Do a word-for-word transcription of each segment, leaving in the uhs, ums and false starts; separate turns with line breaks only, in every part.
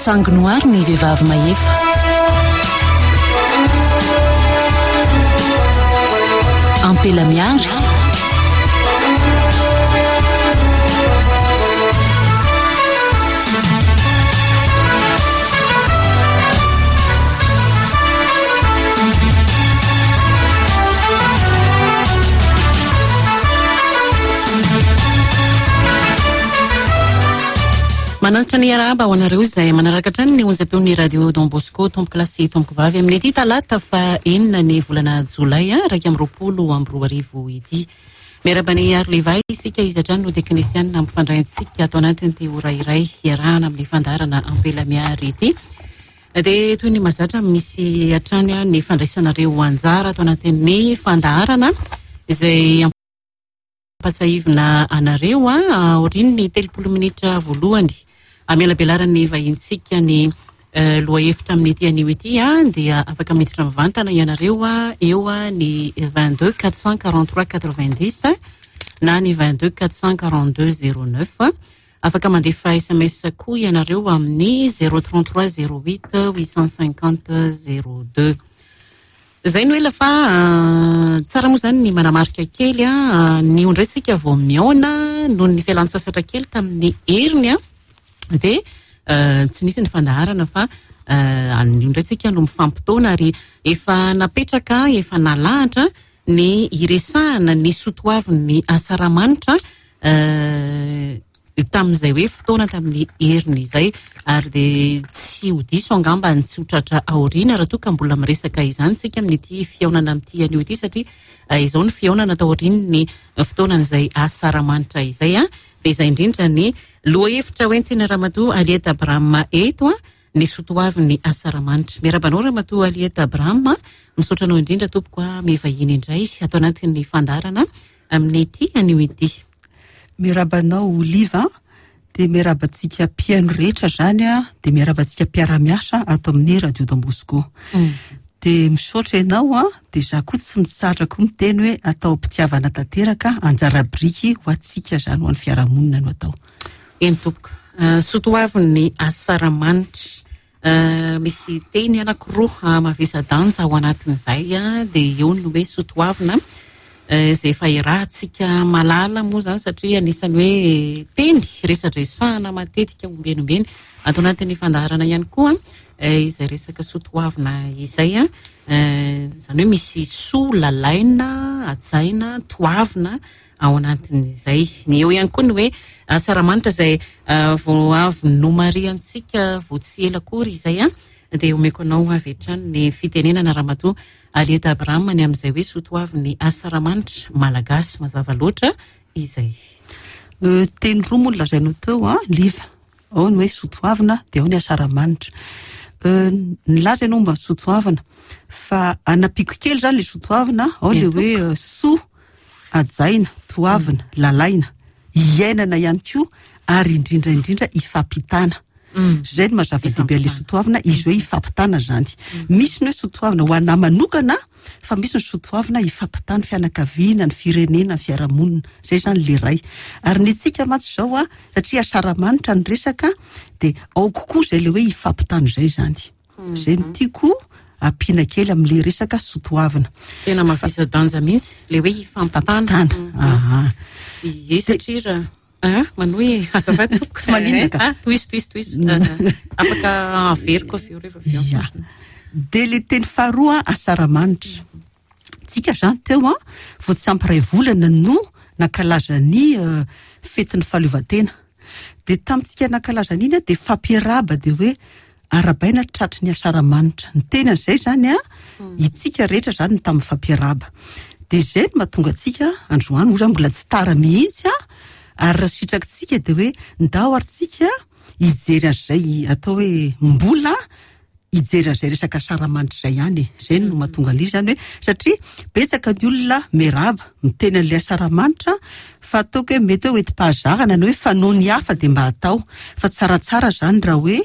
Atsangino ary ny vehivavy mahefa. Ampela miary. Manantitra ny arahaba ho anareo izay manaraka hatrany ny onjam-peon'ny Radio Don Bosco, tompoko lahy sy tompoko vavy, amin'ny ity talata fa enina ny volana jolay iraika amby roapolo amby roa arivo ity. Miarahaba ny Ary Levay isika, izy hatrany no teknisianina mampifandray antsika ato anatin'ity ora iray iarahana amin'ny fandaharana Ampela Miary ity. Dia toy ny mahazatra, misy hatrany ny fandraisanareo anjara ato anatin'ny fandaharana izay ampatsahivina anareo aorian'ny telopolo minitra voalohany. Amialabelaran'ny vahintsika ny lohahevitra amin'ity anio ity dia afaka miditra mivantana ianareo eo ny vingt-deux quatre cent quarante-trois quatre-vingt-dix na ny vingt-deux quatre cent quarante-deux zéro neuf. Afaka mandefa S M S koa ianareo amin'ny zéro trente-trois zéro huit huit cent cinquante zéro deux. Izay no ela fa tsara moa izany ny manamarika kely ny ondretsika vao mihaona noho ny fialan-tsasatra kely tamin'ny heriny dia tsy nisy ny fandaharana fa ny ondretsika no mifampitaona ary efa napetraka, efa nalahatra ny iresahana ny sotoavin'ny asaramanitra tamin'izay hoe fotoana tamin'ny heriny izay, ary dia tsy ho diso angamba ny tsy ho tratra aoriana raha toa ka mbola miresaka izany tsika amin'ity fihaonana amin'ity anio ity, satria izao ny fihaonana taorian'ny fotoanan'izay asaramanitra izay. Dia izay indrindra ny lohahevitra hoentina Ramatoa Aliette Abraham eto, ny sotoavin'ny asaramanitra. Miarahaba anao Ramatoa Aliette Abraham, misaotra anao indrindra tompoko mivahiny indray ato anatin'ny fandaharana amin'ity anio ity.
Miarahaba anao Oliva, dia miarahaba antsika mpihaino rehetra izany, dia miarahaba antsika mpiara-miasa ato amin'ny Radio Don Bosco. Dia misaotra ianao, dia izaho koa tsy mitsahatra koa miteny hoe atao am-pitiavana tanteraka, anjara biriky ho antsika izany, ho an'ny fiarahamonina no atao.
Eny tompoko, sotoavin'ny asaramanitra. Misy teny anankiroa mavesa-danja ao anatin'izay, dia eo ny hoe sotoavina izay efa irahantsika malala moa izany, satria anisan'ny hoe teny resadresahana matetika ombieny ombieny ato anatin'ny fandaharana ihany koa izay resaka sotoavina izay, izany hoe misy soa lalaina, hajaina, toavina ao anatin'izay. Ny eo ihany koa ny hoe asaramanitra izay vao avy nomarihantsika vao tsy ela akory izay, dia omeko anao avy hatrany ny fitenenana Ramatoa Aliette Abraham ny amin'izay hoe sotoavin'ny asaramanitra malagasy mazava loatra izay.
Teny roa moa no lazainao teo, Liva. Ao ny hoe sotoavina, dia ao ny asaramanitra. Nilaza ianao momba ny sotoavina, fa anampiako kely izany ilay sotoavina, ao ilay hoe soa, hajaina, toavina, lalaina, iainana ihany koa, ary indrindra indrindra ifampitana. Izay no mahazava-dehibe ilay sotoavina, izy hoe ifampitana izany. Misy ny hoe sotoavina ho anahy manokana, fa misy ny sotoavina ifampitana fianakaviana, ny firenena, ny fiarahamonina. Izay izany ilay iray. Ary ny antsika mantsy izao, satria asaramanitra ny resaka, dia ao kokoa izay ilay hoe ifampitana izay izany. Izay no tiako ampiana kely amin'ilay resaka sotoavina.
Tena mavesa-danja mihitsy ilay hoe ifampitana.
Aha.
Ie, satria raha Ah, manohy azafady tompoko.
Tsy maninona ka.
Ah, tohizo, tohizo, tohizo. Afaka averiko avy eo rehefa avy eo.
Ia. Dia ilay teny faharoa asaramanitra. Tsika izany teo vao tsy ampy iray volana no nankalaza ny fetin'ny fahaleovantena. Dia tamintsika nankalaza an'iny dia fampiarahaba dia hoe arahabaina tratry ny asaramanitra. Ny teny an'izay izany, itsika rehetra izany no tamin'ny fampiarahaba. Dia izay no mahatonga antsika androany, ohatra mbola tsy tara mihitsy, ary raha sitrakitsika dia hoe ndao ary tsika hijery an'izay atao hoe mbola hijery an'izay resaka asaramanitra izay ihany. Izay no mahatonga an'izy izany hoe satria betsaka ny olona miarahaba miteny an'ilay asaramanitra, fa ataoko hoe mety hoe hoentim-pahazarana na hoe fanao ny hafa dia mba atao, fa tsaratsara izany raha hoe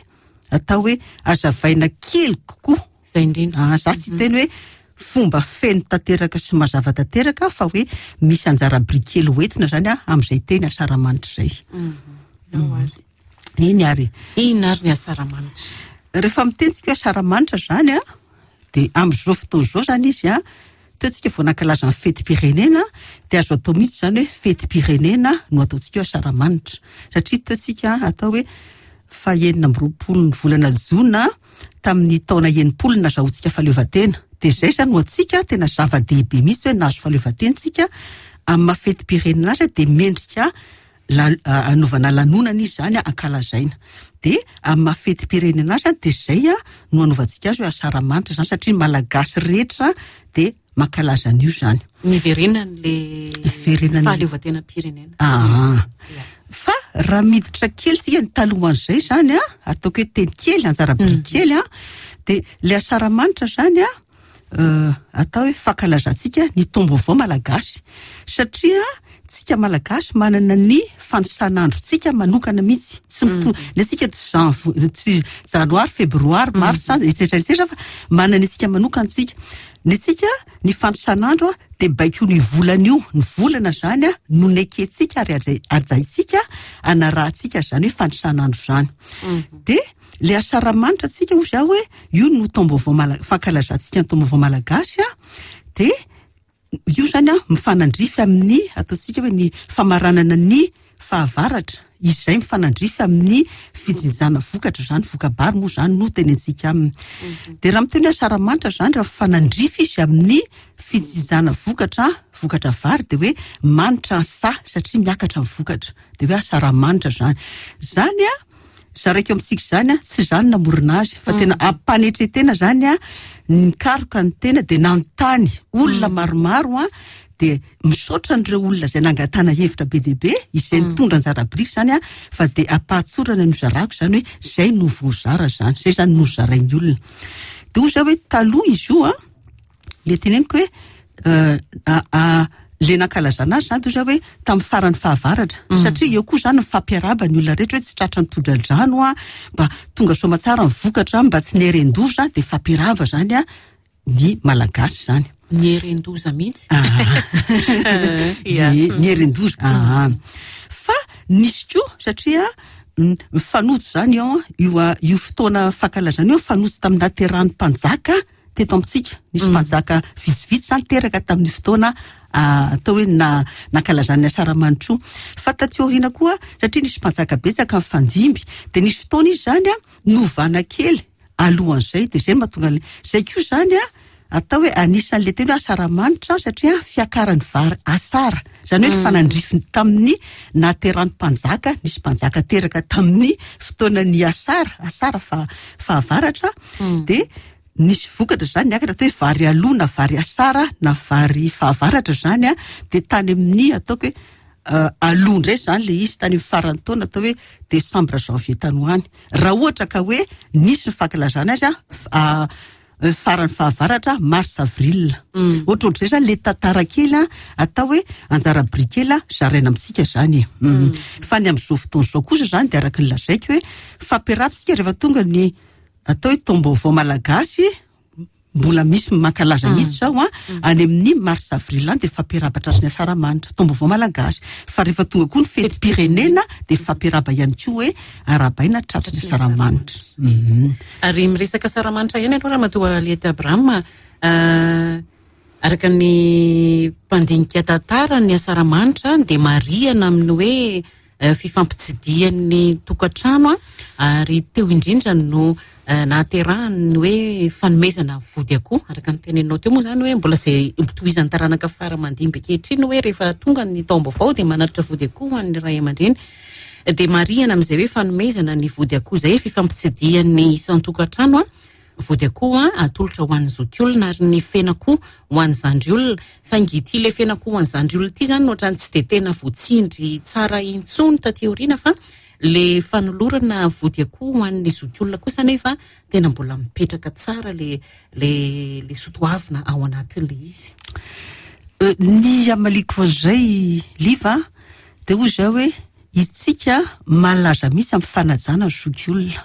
atao hoe azavaina kely kokoa.
Izay indrindra.
Ah, za tsy teny hoe fomba feno tanteraka sy mazava tanteraka, fa hoe misy anjara biriky kely hoentina izany amin'izay teny asaramanitra izay. Eny ary.
Inona ary ny asaramanitra?
Rehefa miteny tsika hoe asaramanitra zany a, de am'izao fotoana izao zany izy a, teo tsika vao nankalaza ny fetim-pirenena, de azo atao mihitsy zany hoe fetim-pirenena no ataontsika hoe asaramanitra, satria teo tsika atao hoe fahenina amby roapolo ny volana jona tamin'ny taona enimpolo nazahoantsika fahaleovantena. De zay zany ho antsika tena zava-dehibe mihitsy hoe nahazo fahaleovantena tsika. Amin'ny maha fetim-pirenena azy de mendrika la anaovana lanonana izy zany, ankalazaina. De amin'ny maha fetim-pirenena azy de zay a no anaovantsika azy hoe asaramanitra zany, satria ny Malagasy rehetra de mankalaza an'io zany.
Niverenan'le
Niverenan'ny-
fahaleovantenam-pirenena.
Ah. Fa raha miditra kely tsika ny talohan'izay zany a, ataoko hoe teny kely, anjara biriky kely a, de le asaramanitra zany a, euh, atao hoe fankalazantsika ny taom-baovao malagasy, satria tsika Malagasy manana ny fanisan'androtsika manokana mihitsy, tsy mito le tsika tsy janv- tsy janoary, febroary, mars, et cetera, et cetera, fa manana antsika manokana tsika. Ny tsika ny fanisan'andro a de baiko ny volana io, ny volana zany a no nekentsika ary aja- ajaitsika anarahantsika zany hoe fanisan'andro zany. De le asaramanitra tsika hozy aho hoe io no taom-baovao mala- fankalazantsika ny taom-baovao malagasy a, de io zany a mifanandrify amin'ny ataontsika hoe ny famaranana ny fahavaratra izay mifanandrify amin'ny fijinjana vokatra zany, voka-bary moa zany no tenentsika aminy. De raha miteny hoe asaramanitra zany, raha mifanandrify izy amin'ny fijinjana vokatra, vokatra vary, de hoe manitra ny saha satria miakatra ny vokatra, de hoe asaramanitra zany. Zany a zaraiko amintsika zany a, tsy zany namorona azy, fa tena ampanetretena zany a, nikaroka ny tena de nanontany olona maromaro a, de misaotra an'ireo olona zay nangatana hevitra be dia be izay nitondra anjara biriky zany a, fa de ampahatsorana no zarako zany hoe zay no voazara zany, zay zany no zarain'ny olona. De hoy za hoe taloha izy io a, le teneniko hoe euh, a- a- le nankalazana azy zany de za hoe tamin'ny faran'ny fahavaratra, satria eo koa zany mifampiaraba ny olona rehetra hoe tsy tratra ny tondra-drano a, mba tonga soamantsara ny vokatra, mba tsy nieren-doza, de fampiaraba zany a ny Malagasy zany.
Nieren-doza mihitsy.
Ah.
Ia.
Ie, nieren-doza. Ah. Fa nisy koa satria mm, mifanojo zany io a, io a- io fotoana fankalazana io mifanojo tamin'ny nahaterahan'ny mpanjaka teto amintsika. Nisy mpanjaka vitsivitsy zany teraka tamin'ny fotoana ah, atao hoe na nankalazana ny asaramanitra io. Fa taty aoriana koa, satria nisy mpanjaka betsaka nifandimby, de nisy fotoana izy zany a novana kely alohan'izay, de zay mahatonga an'le zay koa zany a atao hoe anisan'le teny hoe asaramanitra, satria fiakaran'ny vary asara zany hoe nifanandrify tamin'ny nahaterahan'ny mpanjaka. Nisy mpanjaka teraka tamin'ny fotoanany asara, asara fa fahavaratra, de nisy vokatra zany niakatra, atao hoe vary aloha na vary asara na vary fahavaratra zany a, de tany amin'ny ataoko hoe uh, aloha indray zany le izy tany amin'ny faran'ny taona, atao hoe décembre, janvier tany ho any, raha ohatra ka hoe nisy ny fankalazana azy a f- a faran'ny fahavaratra, mars, avril, ohatrohatr'izay zany le tantara kely a, atao hoe anjara biriky kely a zaraina amintsika zany e. Mm. Fa ny amin'izao fotoana izao kosa zany de araka ny lazaiko hoe fampiarabitsika rehefa tonga ny atao hoe taom-baovao malagasy, mbola misy mankalaza mihitsy zao a, any amin'ny mars, avril any, de fampiarabatra azy ny asaramanitra taom-baovao malagasy. Fa rehefa tonga koa ny fetim-pirenena de fampiaraba ihany koa hoe arabaina tratry ny asaramanitra. Mhm.
Ary miresaka asaramanitra ihany aloha, Ramatoa Aliette Abraham, ah, araka ny mpandinika tantara, ny asaramanitra dia marihana amin'ny hoe eh, fifampitsidihan'ny tokantrano a, ary teo indrindra no eh, nahaterahany ny hoe fanomezana vody akoho, araka ny teneninao teo moa zany hoe mbola zay tohizan'ny taranaka fara mandimby ankehitriny hoe rehefa tonga ny taom-baovao dia manatitra vody akoho ho an'ny ray aman-dreny, dia marihana amin'izay hoe fanomezana ny vody akoho zay, fifampitsidihan'ny isan-tokantrano a, vody akoho a atolotra ho an'ny zokiolona, ary ny fenakoho ho an'ny zandry olona. Saingy ity le fenakoho ho an'ny zandry olona ity zany no ohatrany tsy de tena voatsindry tsara intsony taty aoriana, fa le fanolorana vody akoho ho an'ny zokiolona kosa nefa tena mbola mipetraka tsara le le le sotoavina ao anatin'le izy.
Euh, ny amaliko an'izay liva de hoy zao hoe itsika malaza mihitsy amin'ny fanajana ny zokiolona,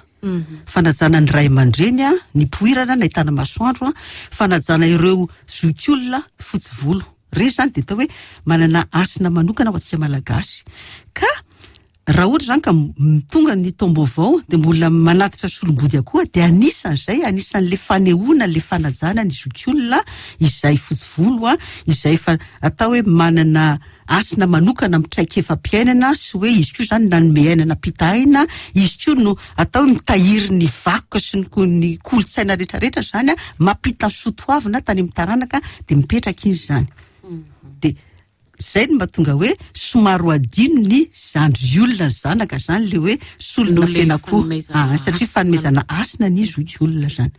fanajana ny ray aman-dreny a nipoirana nahitana masoandro a, fanajana ireo zokiolona fotsy volo reny zany de atao hoe manana hasina manokana ho antsika Malagasy. Ka Raha ohatra zany ka tonga ny taom-baovao de mbola manatitra solombody akoho, de anisan'izay, anisan'le fanehoana le fanajana ny zokiolona izay fotsy volo a, izay efa atao hoe manana hasina manokana amin'ny traikefa-piainana, sy hoe izy koa zany nanome aina, nampita aina, izy koa no atao hoe mitahiry ny vakoka sy ny ny kolontsaina rehetrarehetra zany a, mampita ny soatoavina tany amin'ny taranaka, de mipetraka izy zany. De zay no mahatonga hoe somary ho adino ny zandry olona, ny zanaka zany, le hoe solona
Noho le
fenakoho.
Fanomezana
Ah, satria
hasina.
Fanomezana hasina ny zoky olona zany.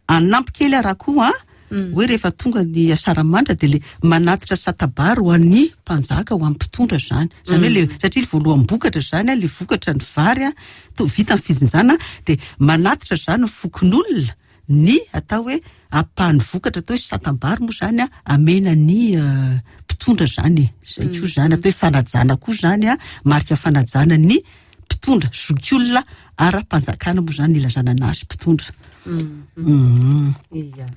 Anampy kely araha koa a, hoe rehefa tonga ny asaramanitra de le manatitra satabary ho an'ny mpanjaka, ho an'ny mpitondra zany. Zany hoe le satria le voaloham-bokatra zany a, le vokatra ny vary a, to vita ny fijinjana, de manatitra zany ny fokonolona ny atao hoe ampahany vokatra, atao hoe satabary moa zany a, amena ny eh, mpitondra zany e. Zay koa zany atao hoe fanajana koa zany a, marika fanajana ny mpitondra, zokiolona ara-panjakana moa zany ilazana anazy, mpitondra. Mhm.
Ia.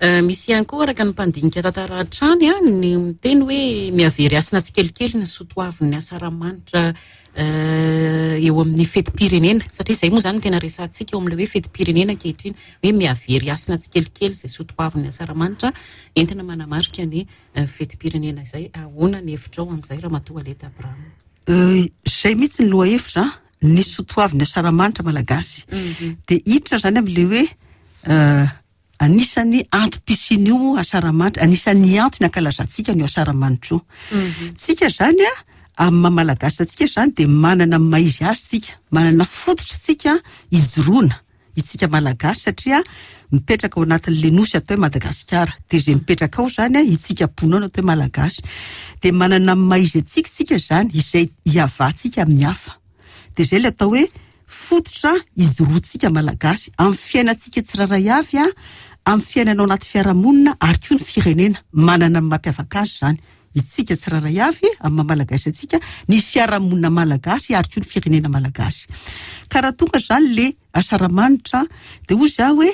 Eh, misy ihany koa, araka ny mpandinika tantara hatrany a, ny miteny hoe mihavery hasina tsikelikely ny soatoavin'ny asaramanitra eh, eo amin'ny fetim-pirenena, satria izay moa zany no tena resahantsika eo amin'ilay hoe fetim-pirenena ankehitriny, hoe mihavery hasina tsikelikely izay soatoavin'ny asaramanitra entina manamarika ny eh, fetim-pirenena izay. Ahoana ny hevitrao amin'izay, Ramatoa Aleta Abraham?
Euh, zay mihitsy ny loha hevitra, ny soatoavin'ny asaramanitra malagasy. De hiditra zany amin'le hoe euh, anisan'ny antom-pisian'io asaramanitra, anisan'ny antony ankalazantsika ny asaramanitra io. Tsika zany a, amin'ny maha malagasy antsika zany, de manana ny maha izy azy tsika, manana fototra tsika ijoroana itsika malagasy, satria mipetraka ao anatin'le nosy atao hoe Madagasikara, de zay mipetraka ao zany a, itsika mponina ao no atao hoe malagasy, de manana ny maha izy antsika tsika zany, izay iavahantsika amin'ny hafa. De zay le atao hoe fototra ijoroantsika malagasy amin'ny fiainantsika tsirairay avy a, amin'ny fiainana ao anaty fiarahamonina, ary koa ny firenena manana ny mampiavaka azy zany, itsika tsirairay avy amin'ny maha malagasy antsika, ny fiarahamonina malagasy, ary koa ny firenena malagasy. Ka raha tonga zany le asaramanitra, de hoy za hoe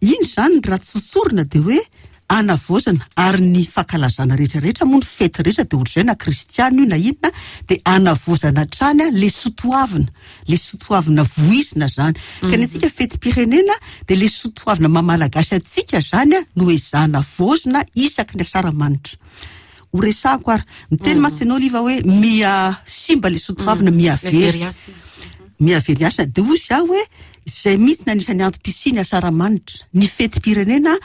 iny zany raha tsotsorina de hoe anavaozana, ary ny fankalazana rehetrarehetra moa, ny fety rehetra de ohatr'izay, na kristiana io na inona, de anavaozana hatrany a le soatoavina, le soatoavina voizina zany. Ka ny antsika fetim-pirenena, de le soatoavina maha malagasy antsika zany a no ezahana vaozina isaky ny asaramanitra. Ho resahako ary miteny mantsy ianao, Liva, hoe mia simba le soatoavina, mihavery
Mihavery hasina.
Mihavery hasina. De hoy za hoe zay mihitsy ny anisan'ny antom-pisian'ny asaramanitra, ny fetim-pirenena,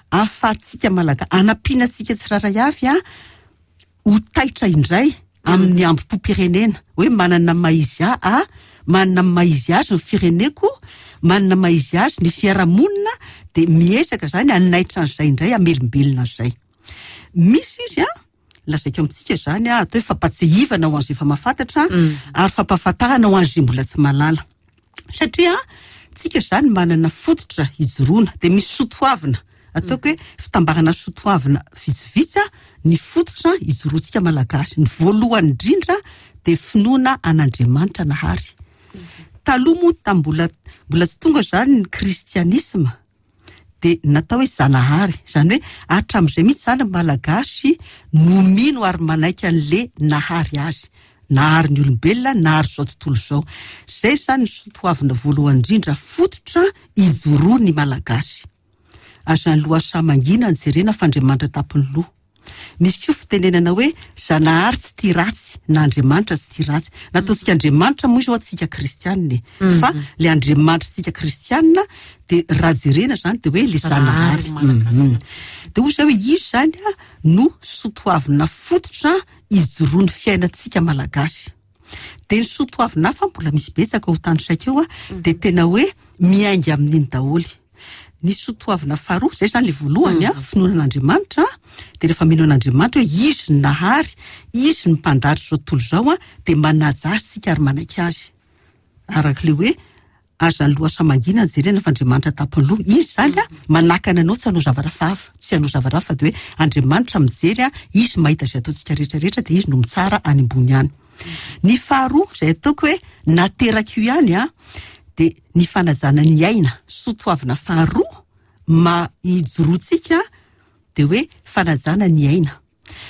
ahafahantsika malagasy, anampiana antsika tsirairay avy a ho taitra indray amin'ny ambom-pirenena, hoe manana ny maha izy a manana ny maha izy azy ny fireneko, manana ny maha izy azy ny fiarahamonina, de miezaka zany anaitra an'izay indray, amelombelona an'izay. Misy izy a, lazaiko amintsika zany a, atao hoe fampatsiahivana ho an'izay efa mahafantatra, ary fampahafantarana ho an'izay mbola tsy mahalala, satria tsika zany manana fototra ijoroana, de misy soatoavina, ataoko hoe fitambarana soatoavina vitsivitsy a ny fototra ijoroantsika malagasy. Ny voalohany indrindra de finoana an'Andriamanitra nahary. Taloha moa, tam mbola mbola tsy tonga zany ny kristianisma, de natao hoe Zanahary zany, hoe hatramin'izay mihitsy zany ny malagasy no mino ary manaiky an'le nahary azy, nahary ny olombelona, nahary zao tontolo izao. Zay zany ny soatoavina voalohany indrindra, fototra ijoroa ny malagasy. Aza ny lohasaha mangina ny jerena fa Andriamanitra tampony loha. Misy koa fitenenana hoe Zanahary tsy tia ratsy, na Andriamanitra tsy tia ratsy. Nataontsika Andriamanitra moa izy ho antsika kristianina e, fa le Andriamanitra tsika kristianina de raha jerena zany de hoe le Zanahary.
Malagasy.
Mhm. De hoy zay hoe izy zany a no soatoavina fototra ijoroan'ny fiainantsika malagasy. De ny soatoavina hafa mbola misy betsaka ho tanisaiko eo a, de tena hoe miainga amin'iny daholy. Ny soatoavina faharoa zay zany, le voalohany a, finoana an'Andriamanitra, de rehefa mino an'Andriamanitra hoe izy ny nahary, izy ny mpandahatra zao tontolo izao a, de manaja azy tsika ary manaiky azy, arak'le hoe aza ny lohasaha mangina ny jerena fa Andriamanitra tampony loha. Izy zany a manakana anao tsy hanao zavatra hafa, tsy hanao zavatra hafa, de hoe Andriamanitra mijery a, izy mahita izay ataontsika rehetrarehetra, de izy no mitsara any ambony any. Ny faharoa zay ataoko hoe nateraka io ihany a, de ny fanajana ny aina. Soatoavina faharoa ma ijoroantsika de hoe fanajana ny aina.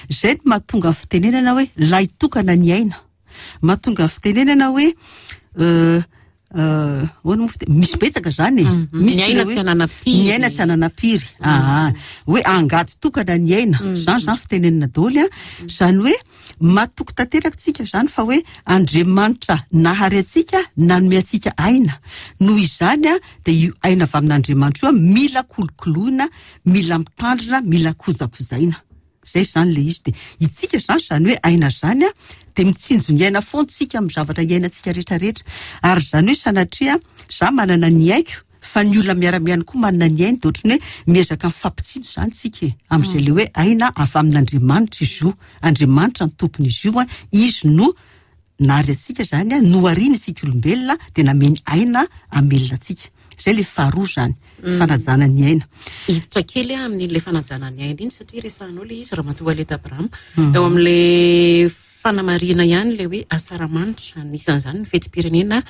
Zay no mahatonga ny fitenenana hoe lahitokana ny aina. Mahatonga ny fitenenana hoe ahoana moa fite- misy betsaka zany e. Misy
Ny aina
le hoe-
tsy ananam-piry.
Ny aina tsy ananam-piry. Aa, hoe angady tokana ny aina. Zany zany fitenenana daholo a. Zany hoe matoky tanteraka tsika zany fa hoe Andriamanitra nahary antsika, nanome antsika aina. Noho izany a, dia io aina avy amin'Andriamanitra io a, mila kolokoloina, mila mitandrina, mila kojakojaina. Zay zany le izy. De itsika zany, zany hoe aina zany a, de mitsinjo ny aina foana tsika amin'ny zavatra iainantsika rehetrarehetra. Ary zany hoe sanatria za manana ny aiko, fa ny olona miara-miaina koa manana ny ainy, de ohatrany hoe miezaka mifampitsinjo zany tsika e, amin'izay le hoe aina avy amin'Andriamanitra izy io. Andriamanitra ny tompon'izy io a, izy no nary antsika zany a, nohariny isika olombelona, de nameny aina amelona antsika. Zay le faharoa zany, fanajana ny aina.
Hiditra kely a amin'ilay fanajana ny aina iny, satria resahanao le izy, Ramatoa Aleta Abraham, eo amin'le fanamarihana ihany le hoe asaramanitra, anisan'izany ny fetim-pirenena,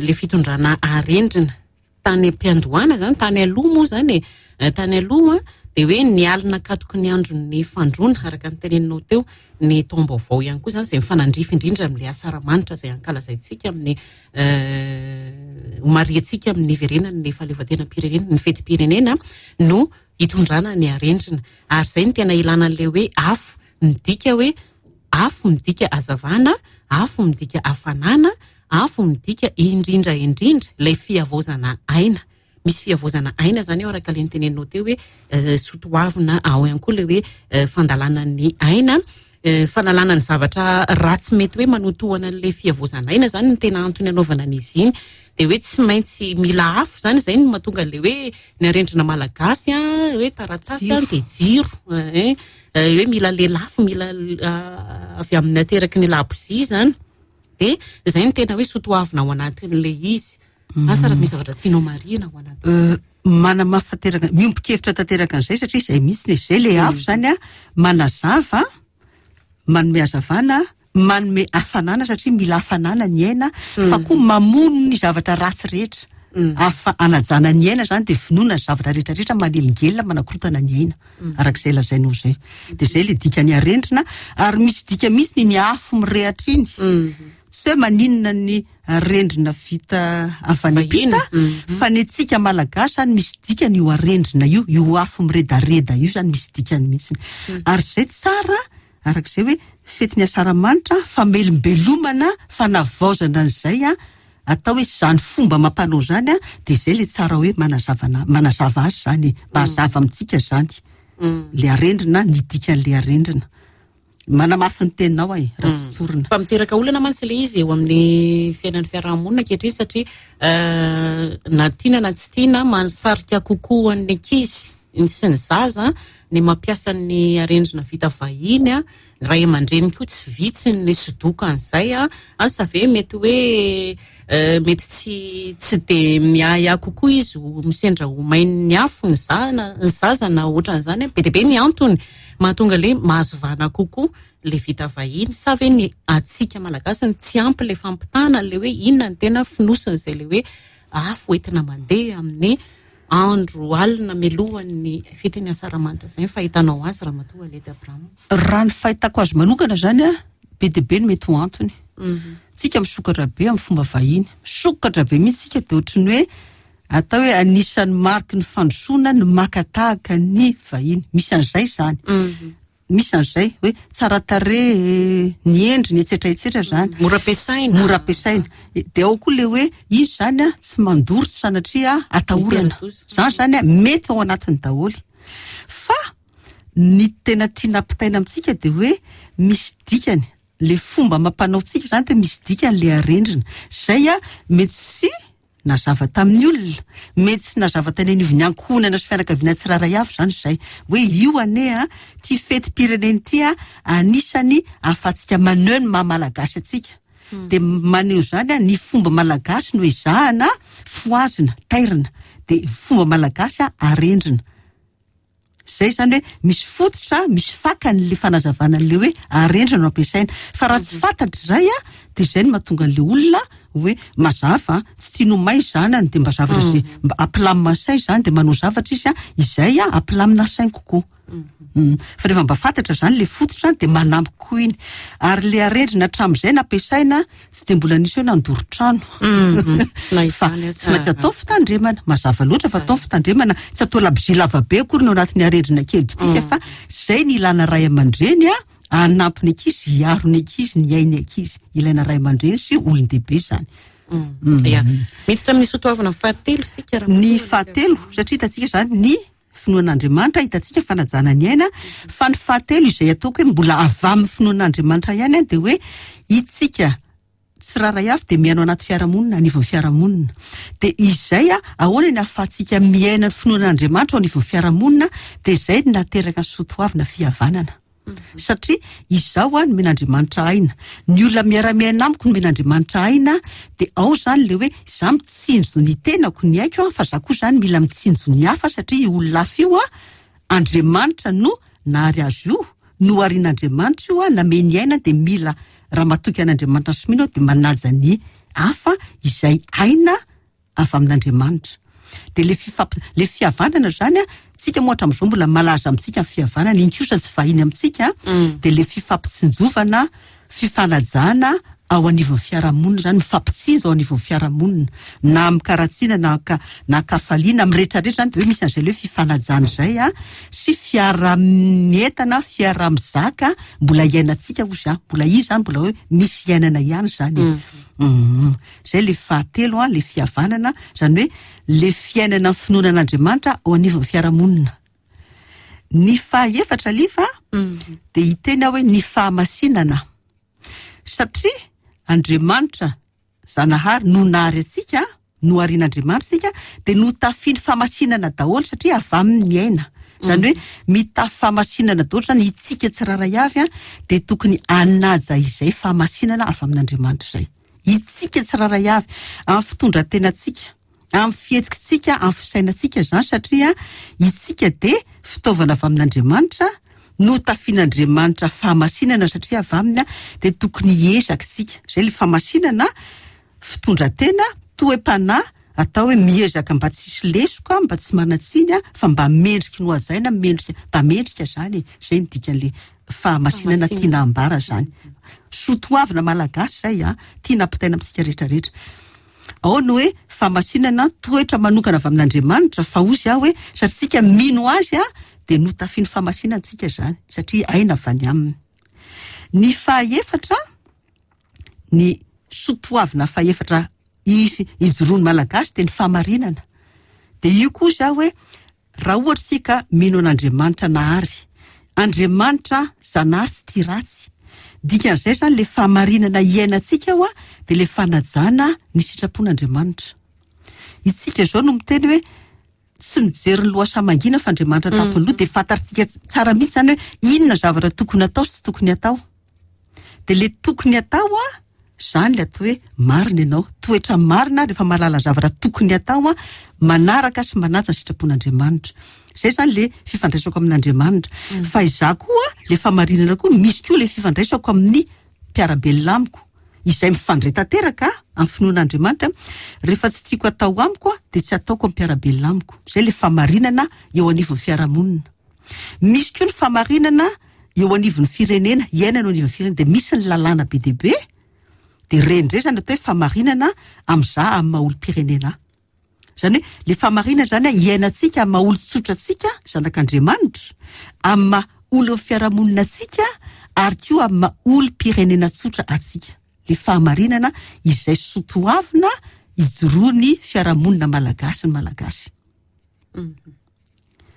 le fitondrana arendrina tany am-piandohana zany, tany aloha moa zany e, tany aloha de hoe ny alina katoky ny andron'ny fandroana, araka ny teneninao teo, ny taom-baovao ihany koa zany, izay mifanandrify indrindra amin'ilay asaramanitra izay ankalazaintsika amin'ny homariantsika amin'ny verenan'ny fahaleovantenam-pirenena, ny fetim-pirenena, no hitondrana ny arendrina. Ary izay no tena ilana an'ilay hoe afo, midika hoe afo midika hazavana, afo midika hafanana, afo midika indrindra indrindra ilay fihavaozana aina. Misy fihavaozana aina zany eo, araka ilay niteneninao teo hoe sotoavina ao ihany koa ilay hoe fandalana ny aina, fanalana ny zavatra ratsy mety hoe manotohana an'ilay fihavaozana aina zany no tena antony anaovana an'izy iny. De hoe tsy maintsy mila afo zany, izay no mahatonga an'ilay hoe ny arendrina malagasy a, hoe taratasy a, de jiro, hoe mila lelafo, mila avy amin'ny ateraky ny labozia zany. De izay no tena hoe sotoavina ao anatin'ilay izy. Asa raha misy zavatra tianao marihina ao anatin'izay.
Manamafy tanteraka, miombon-kevitra tanteraka an'izay, satria izay mihitsy ne, izay le afo zany a, manazava, manome hazavana, manome hafanana, satria mila hafanana ny aina, fa koa mamono ny zavatra ratsy rehetra. Afa anajana ny aina zany, de vonoina ny zavatra rehetrarehetra manelingelina, manakorotana ny aina, arak'izay lazainao izay. De izay le dikany arendrina. Ary misy dika mihitsy ny afo mirehatra iny. Tsy hoe maninona ny arendrina vita avy any am-pita, fa ny antsika malagasy zany misy dikany io arendrina io, io afo miredareda io zany misy dikany mihitsy. Ary izay tsara, arak'izay hoe fetin'ny asaramanitra, famelombelomana, fanavaozana an'izay a, atao hoe zany fomba mampanao zany a, de izay le tsara hoe manazavana, manazava azy zany, mba hazava amintsika zany. Le arendrina, ny dikan'le arendrina. Manamafy ny teninao e, raha tsy tsorina.
Fa miteraka olana mantsy le izy eo amin'ny fiainan'ny fiarahamonina ankehitriny, satria na tiana na tsy tiana, mahasarika kokoa an'ny ankizy sy ny zaza ny mampiasa ny arendrina vita vahiny a. Ny ray aman-dreny koa tsy vitsy ny sodoka an'izay a. Asa ve mety hoe mety tsy tsy de miahiahy kokoa izy ho misendra ho main'ny afo ny zana, ny zaza na ohatran'izany. Be dia be ny antony mahatonga le mahazo vahana kokoa le vita vahiny. Sa ve ny antsika malagasy ny tsy ampy le fampitana le hoe inona ny tena fonosin'izay le hoe afo entina mandeha amin'ny andro alina mialohan'ny fetin'ny asaramanitra izay ny fahitanao azy, Ramatoa Alety Abraham?
Raha ny fahitako azy manokana zany a, be dia be no mety ho antony. Tsika misokatra be amin'ny fomba vahiny, misokatra be mihitsy tsika, de ohatran'ny hoe atao hoe anisan'ny mariky ny fandrosoana ny maka tahaka ny vahiny. Misy an'izay zany, misy an'izay hoe tsara tarehy ny endriny, etsetra etsetra zany,
mora ampiasaina,
mora ampiasaina. De ao koa le hoe izy zany a, tsy mandoro, tsy sanatria atahorana zany zany a, mety ao anatiny daholo. Fa ny tena tiana ampitaina amintsika de hoe misy dikany le fomba mampanao tsika zany, de misy dikany le arendrina zay a, mety tsy nazava tamin'ny olona, mety tsy nazava tany anivon'ny ankohonana sy fianakaviana tsirairay avy zany zay hoe io ane a, ty fetim-pirenena ity a, anisany ahafahantsika maneho ny maha malagasy antsika. De maneho zany a, ny fomba malagasy no ezahana fohazina, tairina, de fomba malagasy a arendrina. Zay zany hoe misy fototra, misy fakany le fanazavana an'le hoe arendrina no ampiasaina. Fa raha tsy fantatra zay a, de zay no mahatonga an'le olona hoe mazava, tsy tiany ho may zanany, de mba zavatra zay mba ampilamina ny sainy zany, de manao zavatra izy a izay a ampilamina sainy kokoa. Mm. Fa rehefa mba fantatra zany le fototra, de manampy koa iny. Ary le arendrina hatramin'izay nampiasaina, tsy de mbola nisy hoe nandoro trano.
Na
Fa
izany
tsy maintsy atao fitandremana, mazava loatra fa atao fitandremana, tsy atao labozia lavabe akory no anatin'ny arendrina kely bitika, fa zay ny ilana ray aman-dreny a hanampy ny ankizy, hiaro ny ankizy, ny ain'ny ankizy. Ilaina ray aman-dreny sy olon-dehibe zany.
Ya, miditra amin'ny soatoavina fahatelo sika raha
Ny fahatelo, satria hitantsika zany ny finoan'Andriamanitra, hitantsika fanajana ny aina, fa ny fahatelo izay ataoko hoe mbola avy amin'ny finoan'Andriamanitra ihany a, de hoe itsika tsirairay avy de miaina ao anaty fiarahamonina, anivon'ny fiarahamonina. De izay a ahoana ny ahafahantsika miaina ny finoan'Andriamanitra ao anivon'ny fiarahamonina? De zay no nateraka ny soatoavina fihavanana, satria izaho a nomen'Andriamanitra aina, ny olona miara-miaina amiko nomen'Andriamanitra aina, de ao zany le hoe za mitsinjo ny tenako, ny aiko a, fa za koa zany mila mitsinjo ny hafa, satria io olona hafa io a Andriamanitra no nahary azy io, noharin'Andriamanitra io a nameny aina, de mila raha matoky an'Andriamanitra sy mino aho, de manaja ny hafa izay aina avy amin'Andriamanitra. De le fifamp- le fihavanana zany a, tsika moa hatramin'izao mbola malaza amintsika ny fihavanana iny kosa, tsy vahiny amintsika, de le fifampitsinjovana, fifanajana ao anivon'ny fiarahamonina zany, mifampitsinjo ao anivon'ny fiarahamonina, na amin'ny-karatsiana na ka na kafaliana, amin'ny rehetrarehetra zany, de hoe misy an'izay le hoe fifanajana zay a sy fiara-mientana, fiara-mizaka mbola iainantsika ozy a, mbola izy zany, mbola hoe misy iainana ihany zany e. Mhm. Zay le fahatelo a, le fihavanana zany, hoe le fiainana ny finoana an'Andriamanitra ao anivon'ny fiarahamonina. Ny fahaefatra lifa de hiteny aho hoe ny fahamasinana, satria Andriamanitra Zanahary no nahary antsika, noharin'Andriamanitra sika, de notafiny fahamasinana daholo satria avy amin'ny aina zany, hoe mitafy fahamasinana daholo zany itsika tsirairay avy a, de tokony anaja izay fahamasinana avy amin'Andriamanitra zay itsika tsirairay avy, amin'ny fitondran-tenatsika, amin'ny fihetsikitsika, amin'ny fisainantsika zany, satria itsika de fitaovana avy amin'Andriamanitra, notafian'Andriamanitra fahamasinana satria avy aminy a, de tokony hiezaka isika. Zay le fahamasinana, fitondran-tena, toe-panahy, atao hoe miezaka mba tsisy lesoka, mba tsy manan-tsiny a, fa mba mendriky no hajaina, mendrika, mba mendrika zany e. Zay ny dikan'le fahamasinana tiana ambara zany, soatoavina malagasy zay a tiana ampitaina amintsika rehetrarehetra. Ao ny hoe fahamasinana, toetra manokana avy amin'Andriamanitra, fa ozy aho hoe satria tsika mino azy a, de notafiny fahamasinana tsika zany satria aina avy any aminy. Ny fahaefatra, ny soatoavina fahaefatra izy ijoroan'ny malagasy, de ny fahamarinana. De io koa za hoe raha ohatra tsika mino an'Andriamanitra nahary, Andriamanitra Zanahary tsy tia ratsy, dikan'izay zany le fahamarinana iainantsika ao a, de le fanajana ny sitrapon'Andriamanitra. Itsika zao no miteny hoe tsy mijery ny lohasaha mangina fa Andriamanitra tampony loha, de fantatsika tsara mihitsy zany hoe inona zavatra tokony atao sy tsy tokony atao. De le tokony atao a zany le atao hoe marina ianao, toetra marina, rehefa mahalala zavatra tokony atao a, manaraka sy manaja ny sitrapon'Andriamanitra. Zay zany le fifandraisako amin'Andriamanitra. Fa izaho koa le fahamarinana koa misy koa le fifandraisako amin'ny mpiara-belona amiko izay mifandray tanteraka amin'ny finoan'Andriamanitra. Rehefa tsy tiako atao amiko a, de tsy ataoko amin'ny mpiara-belona amiko. Zay le fahamarinana eo anivon'ny fiarahamonina. Misy koa ny fahamarinana eo anivon'ny firenena, iainana eo anivon'ny firenena, de misy ny lalàna be dia be, de rendrey zany atao hoe fahamarinana am'za amin'ny maha olom-pirenena ahy. Zany hoe le fahamarinana zany a iainantsika amin'ny maha olon-tsotra antsika zanak'Andriamanitra, amin'ny maha olon'ny fiarahamonina antsika, ary koa amin'ny maha olom-pirenena tsotra antsika. Le fahamarinana izay soatoavina ijoroan'ny fiarahamonina malagasy, ny malagasy.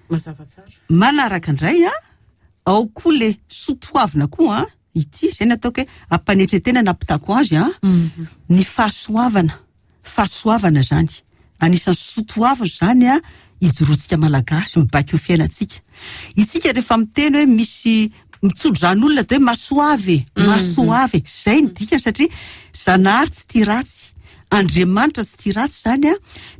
Mazava tsara.
Manaraka indray a, ao koa le soatoavina koa a ity zay ny ataoko hoe ampanetretena nampitako azy a, ny fahasoavana. Fahasoavana zany anisan'ny soatoavina zany a ijoroantsika malagasy, mibaiko ny fiainantsika. Itsika rehefa miteny hoe misy mitsodrano olona, de hoe masoavy, masoavy, zay ny dikany, satria Zanahary tsy tia ratsy, Andriamanitra tsy tia ratsy zany a,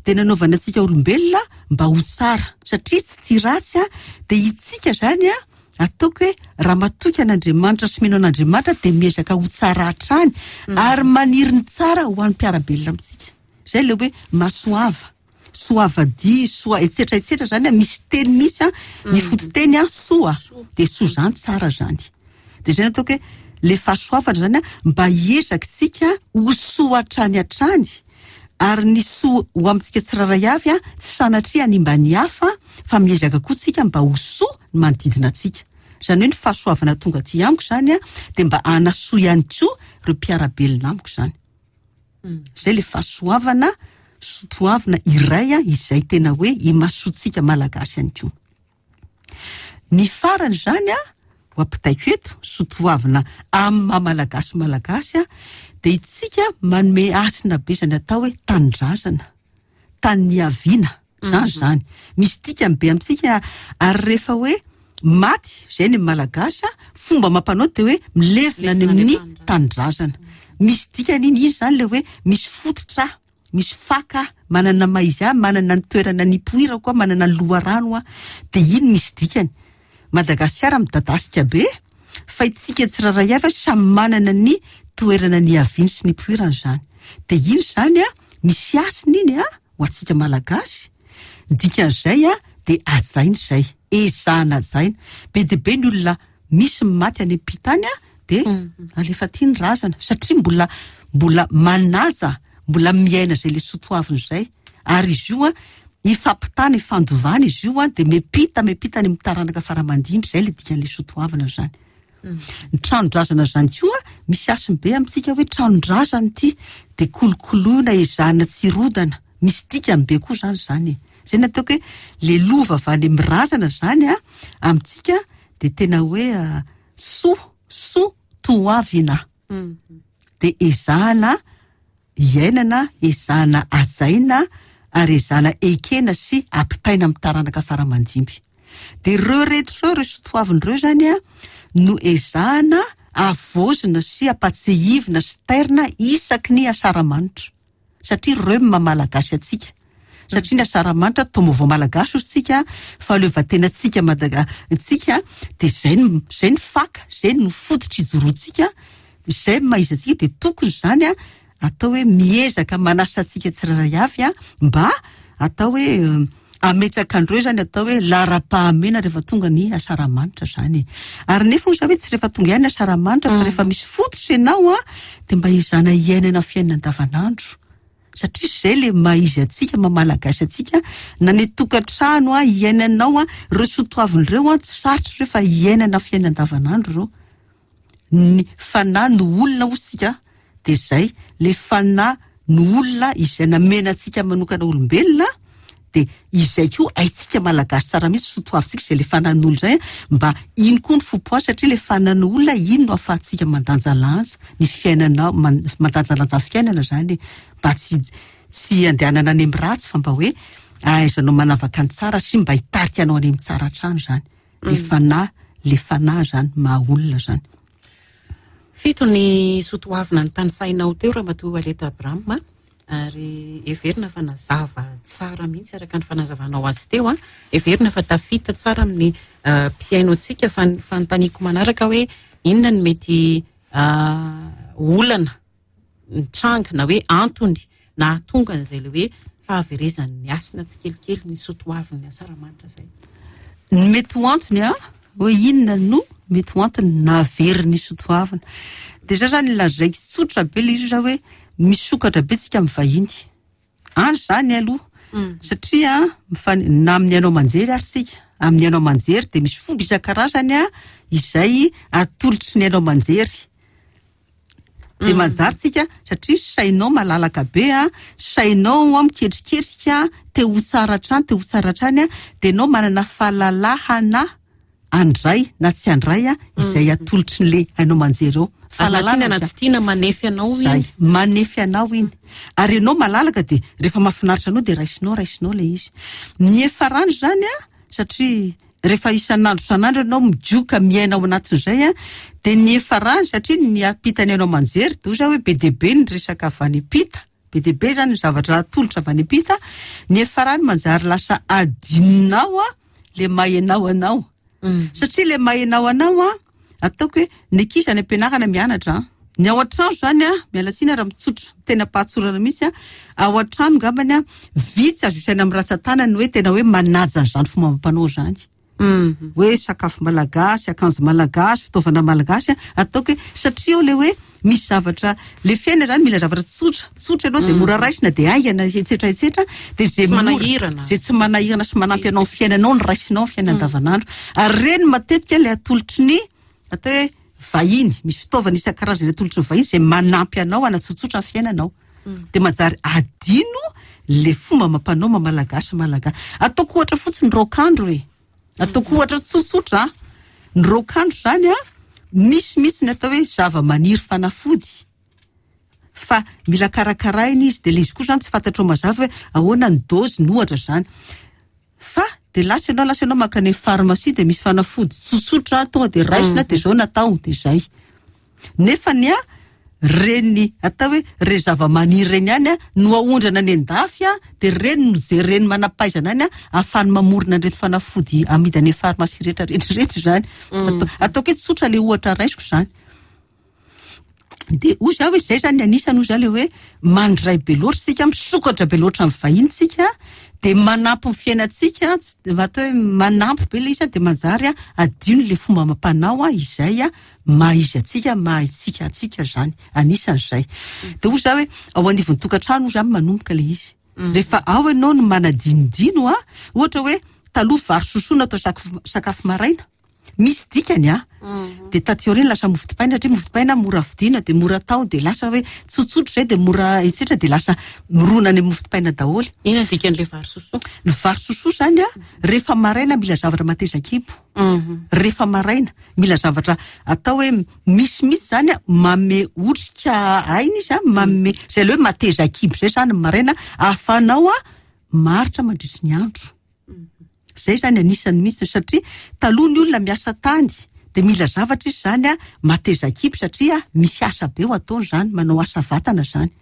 de nanaovana antsika olombelona mba ho tsara satria tsy tia ratsy a. De itsika zany a Ataoko hoe raha matoky an'Andriamanitra sy mino an'Andriamanitra dia miezaka ho tsara hatrany ary maniry ny tsara ho an'ny mpiara-belona amintsika. Zay le hoe masoava, soavadia, soa etsetra etsetra zany a, misy teny misy a, ny fototeny a soa, de soa zany tsara zany. De zay no ataoko hoe le fahasoavana zany a mba hiezaka tsika ho soa hatrany hatrany, ary ny soa ho amintsika tsirairay avy a tsy sanatria hanimba ny hafa fa miezaka koa tsika mba ho soa ny manodidina antsika. Zany hoe ny fahasoavana tonga aty amiko zany a de mba hanasoa ihany koa ireo mpiara-belona amiko zany. Zay le fahasoavana sotoavina iray a izay tena hoe imasoantsika malagasy ihany koa. Ny farany zany a ho ampitaiko eto sotoavina amin'ny maha malagasy malagasy a de itsika manome hasina be zany atao hoe tanindrazana, tany niaviana zany zany. Misy dikany be amintsika ary rehefa hoe maty zay ny malagasy a fomba mampanao de hoe milevina any amin'ny tanindrazana. Misy dikany iny izy zany le hoe misy fototra, misy faka, manana maha izy ahy, manana ny toerana nipoirako aho, manana ny loharano aho, de iny misy dikany. Madagasikara midadasika be fa itsika tsirairay avy samy manana ny toerana niaviany sy nipoirany zany. De iny zany a misy hasina iny a ho antsika malagasy. Ny dikan'izay a de hajaina izay, ezahana hajaina. Be dia be ny olona misy maty any am-pita any a de alefa aty ny razana satria mbola mbola manaja, mbola miaina izay le sotoavina izay. Ary izy io a ifampitana, ifandovana izy io a de mipita, mipita any amin'ny taranaka faramandimby, zay le dikan'le sotoavina zany. Ny tranon-drazana zany koa misy hasiny be amintsika hoe tranon-drazana ity de kolokoloina, ezahana tsy rodana, misy dikany be koa zany zany e. Zay no ataoko hoe le lova avy any amin'ny razana zany a amintsika de tena hoe soa, soa toavina. De ezahana iainana, ezahana hajaina ary ezahana ekena sy ampitaina amin'ny taranaka faramandimby. De ireo rehetra ireo, ireo sotoavina ireo zany a no ezahana havaozina sy ampatsiahivina sy tairina isaky ny asaramanitra. Satria ireo no maha malagasy antsika. Satria ny asaramanitra taom-baovao malagasy hoy isika, fahaleovantenantsika Madaga- tsika, de zay no, zay no faka, zay no fototra ijoroantsika, zay no maha izy antsika, de tokony zany a atao hoe miezaka manasa antsika tsirairay avy a mba atao hoe ametraka andreo zany atao hoe laharam-pahamehana rehefa tonga ny asaramanitra zany. Ary nefa hoy za hoe tsy rehefa tonga ihany ny asaramanitra fa rehefa misy fototra ianao a de mba ezahana iainana fiainana andavanandro. Satria zay le maha izy antsika, maha malagasy antsika, na ny tokantrano a iainanao a ireo sotoavina ireo a tsy sarotra ireo fa iainana fiainana andavanandro ireo. Ny fanahy no olona hoy isika de zay le fanahy no olona izay namena antsika manokana olombelona de izay koa haintsika malagasy tsara mihitsy sotoavintsika izay le fanahin'olona zay mba iny koa ny fompoa satria le fanahin'olona iny no ahafahantsika mandanjalanja ny fiainanao, man-, mandanjalanja fiainana zany e, mba tsy, tsy andehanana any amin'ny ratsy fa mba hoe ahaizanao manavaka ny tsara sy mba hitarika anao any amin'ny tsara hatrany zany. Le fanahy, le fanahy zany maha olona zany.
Fito ny sotoavina ny tanisainao teo Ramatoa Aleta Abraham, ary heverina fa nazava tsara mihitsy araka ny fanazavanao azy teo a. Heverina fa tafita tsara amin'ny mpihaino antsika. Fa ny fanontaniako manaraka hoe inona no mety olana nitranga na hoe antony nahatonga an'izay le hoe fahaverezan'ny hasina tsikelikely ny sotoavin'ny asaramanitra izay.
Ny mety ho antony a hoe inona no mety ho antony nahavery ny sotoavina. De za zany lazaiko tsotra be le izy za hoe misokatra be tsika amin'ny vahiny. Any zany aloha. Satria mifan-, na amin'ny haino aman-jery ary tsika. Amin'ny haino aman-jery de misy fomba isan-karazany a izay atolotry ny haino aman-jery. De manjary tsika satria sainao malalaka be a, sainao a miketriketrika, te ho tsara hatrany, te ho tsara hatrany a, de ianao manana fahalalahana andray na tsy andray a izay atolotry ny le haino aman-jery eo.
Fahalalahana na tsy tiana manefy anao iny.
Zay, manefy anao iny. Ary ianao malalaka de rehefa mahafinaritra anao de raisinao, raisinao le izy. Ny efarany zany a, satria rehefa isan'andro isan'andro ianao mijoka miaina ao anatin'izay a, de ny efarany satria ny ampitany haino aman-jery de hoy za hoe be dia be ny resaka avy any ampita. Be dia be zany ny zavatra atolotra avy any ampita. Ny efarany manjary lasa adinonao a le maha ianao anao. Satria le mahenao anao a, ataoko hoe ny ankizy any am-pianarana mianatra a. Ny ao an-trano zany a, miala tsiny raha mitsotra, tena pahatsorana mihitsy a, ao an-trano ngambany a, vitsy azo isaina amin'ny ratsan-tanany hoe tena hoe manaja an'izany fomba amam-panao zany. Hoe sakafo malagasy, akanjo malagasy, fitaovana malagasy, ataoko hoe satria eo le hoe misy zavatra, le fiainana zany mila zavatra tsotra, tsotra ianao de mora raisina de haingana, etsetra etsetra, de zay
Tsy
mora,
manahirana.
zay tsy manahirana sy manampy anao amin'ny fiainanao ny raisinao amin'ny fiainana andavanandro. Ary reny matetika le atolotry ny atao hoe vahiny, misy fitaovana isan-karazany atolotry ny vahiny zay manampy anao hanatsotsotra ny fiainanao. De manjary adino le fomba mampanao maha malagasy malagasy. Ataoko ohatra fotsiny raokandro e. Ataoko ohatra tsotsotra, ny raokandro zany a, misy mihitsy ny atao hoe zava-maniry fanafody. Fa mila karakaraina izy, de le izy koa zany tsy fantatrao mazava hoe ahoana ny dôzy ny ohatra zany. Fa de lasa ianao, lasa ianao mankany amin'ny pharmacie de misy fanafody tsotsotra tonga de raisina de zao natao de zay. Nefa ny a reny atao hoe re zava-maniry reny ihany a no aondrana any an-dafy a, de reny no jereny manam-pahaizana any a ahafahany mamorona an'ireto fanafody amidy any amin'ny pharmacie rehetra rehetra rehetra zany. Atao, ataoko hoe tsotra le ohatra raisiko zany. De hoy zaho hoe zay zany anisany hoy zaho le hoe mandray be loatra tsika, misokatra be loatra amin'ny vahiny tsika, de manampy ny fiainantsika, tsy de atao hoe manampy be le izy a, de manjary a adino le fomba amam-panao a izay a maha izy antsika, maha itsika antsika zany, anisan'izay. De hoy zaho hoe ao anivon'ny tokantrano hoy zany manomboka le izy. Rehefa ao ianao no manadinodino a, ohatra hoe taloha vary sosoa natao sakafo, sakafo maraina. Misy dikany a. De taty aoriana lasa mofo dipaina, satria mofo dipaina mora vidiana de mora atao, de lasa hoe tsotsotra zay de mora etsetra, de lasa mirona any amin'ny mofo dipaina daholo.
Inona ny dikan'ilay vary sosoa?
Ny vary sosoa zany a, rehefa maraina mila zavatra mateza kibo. Rehefa maraina mila zavatra atao hoe misimisy zany a, manome otrika aina izy a, manome zay le hoe mateza kibo zay zany maraina ahafahanao a maharitra mandritry ny andro. Zay zany anisany mihitsy, satria taloha ny olona miasa tany de mila zavatra izy zany a mateza kibo, satria misy asa be ho ataony zany, manao asa vatana zany.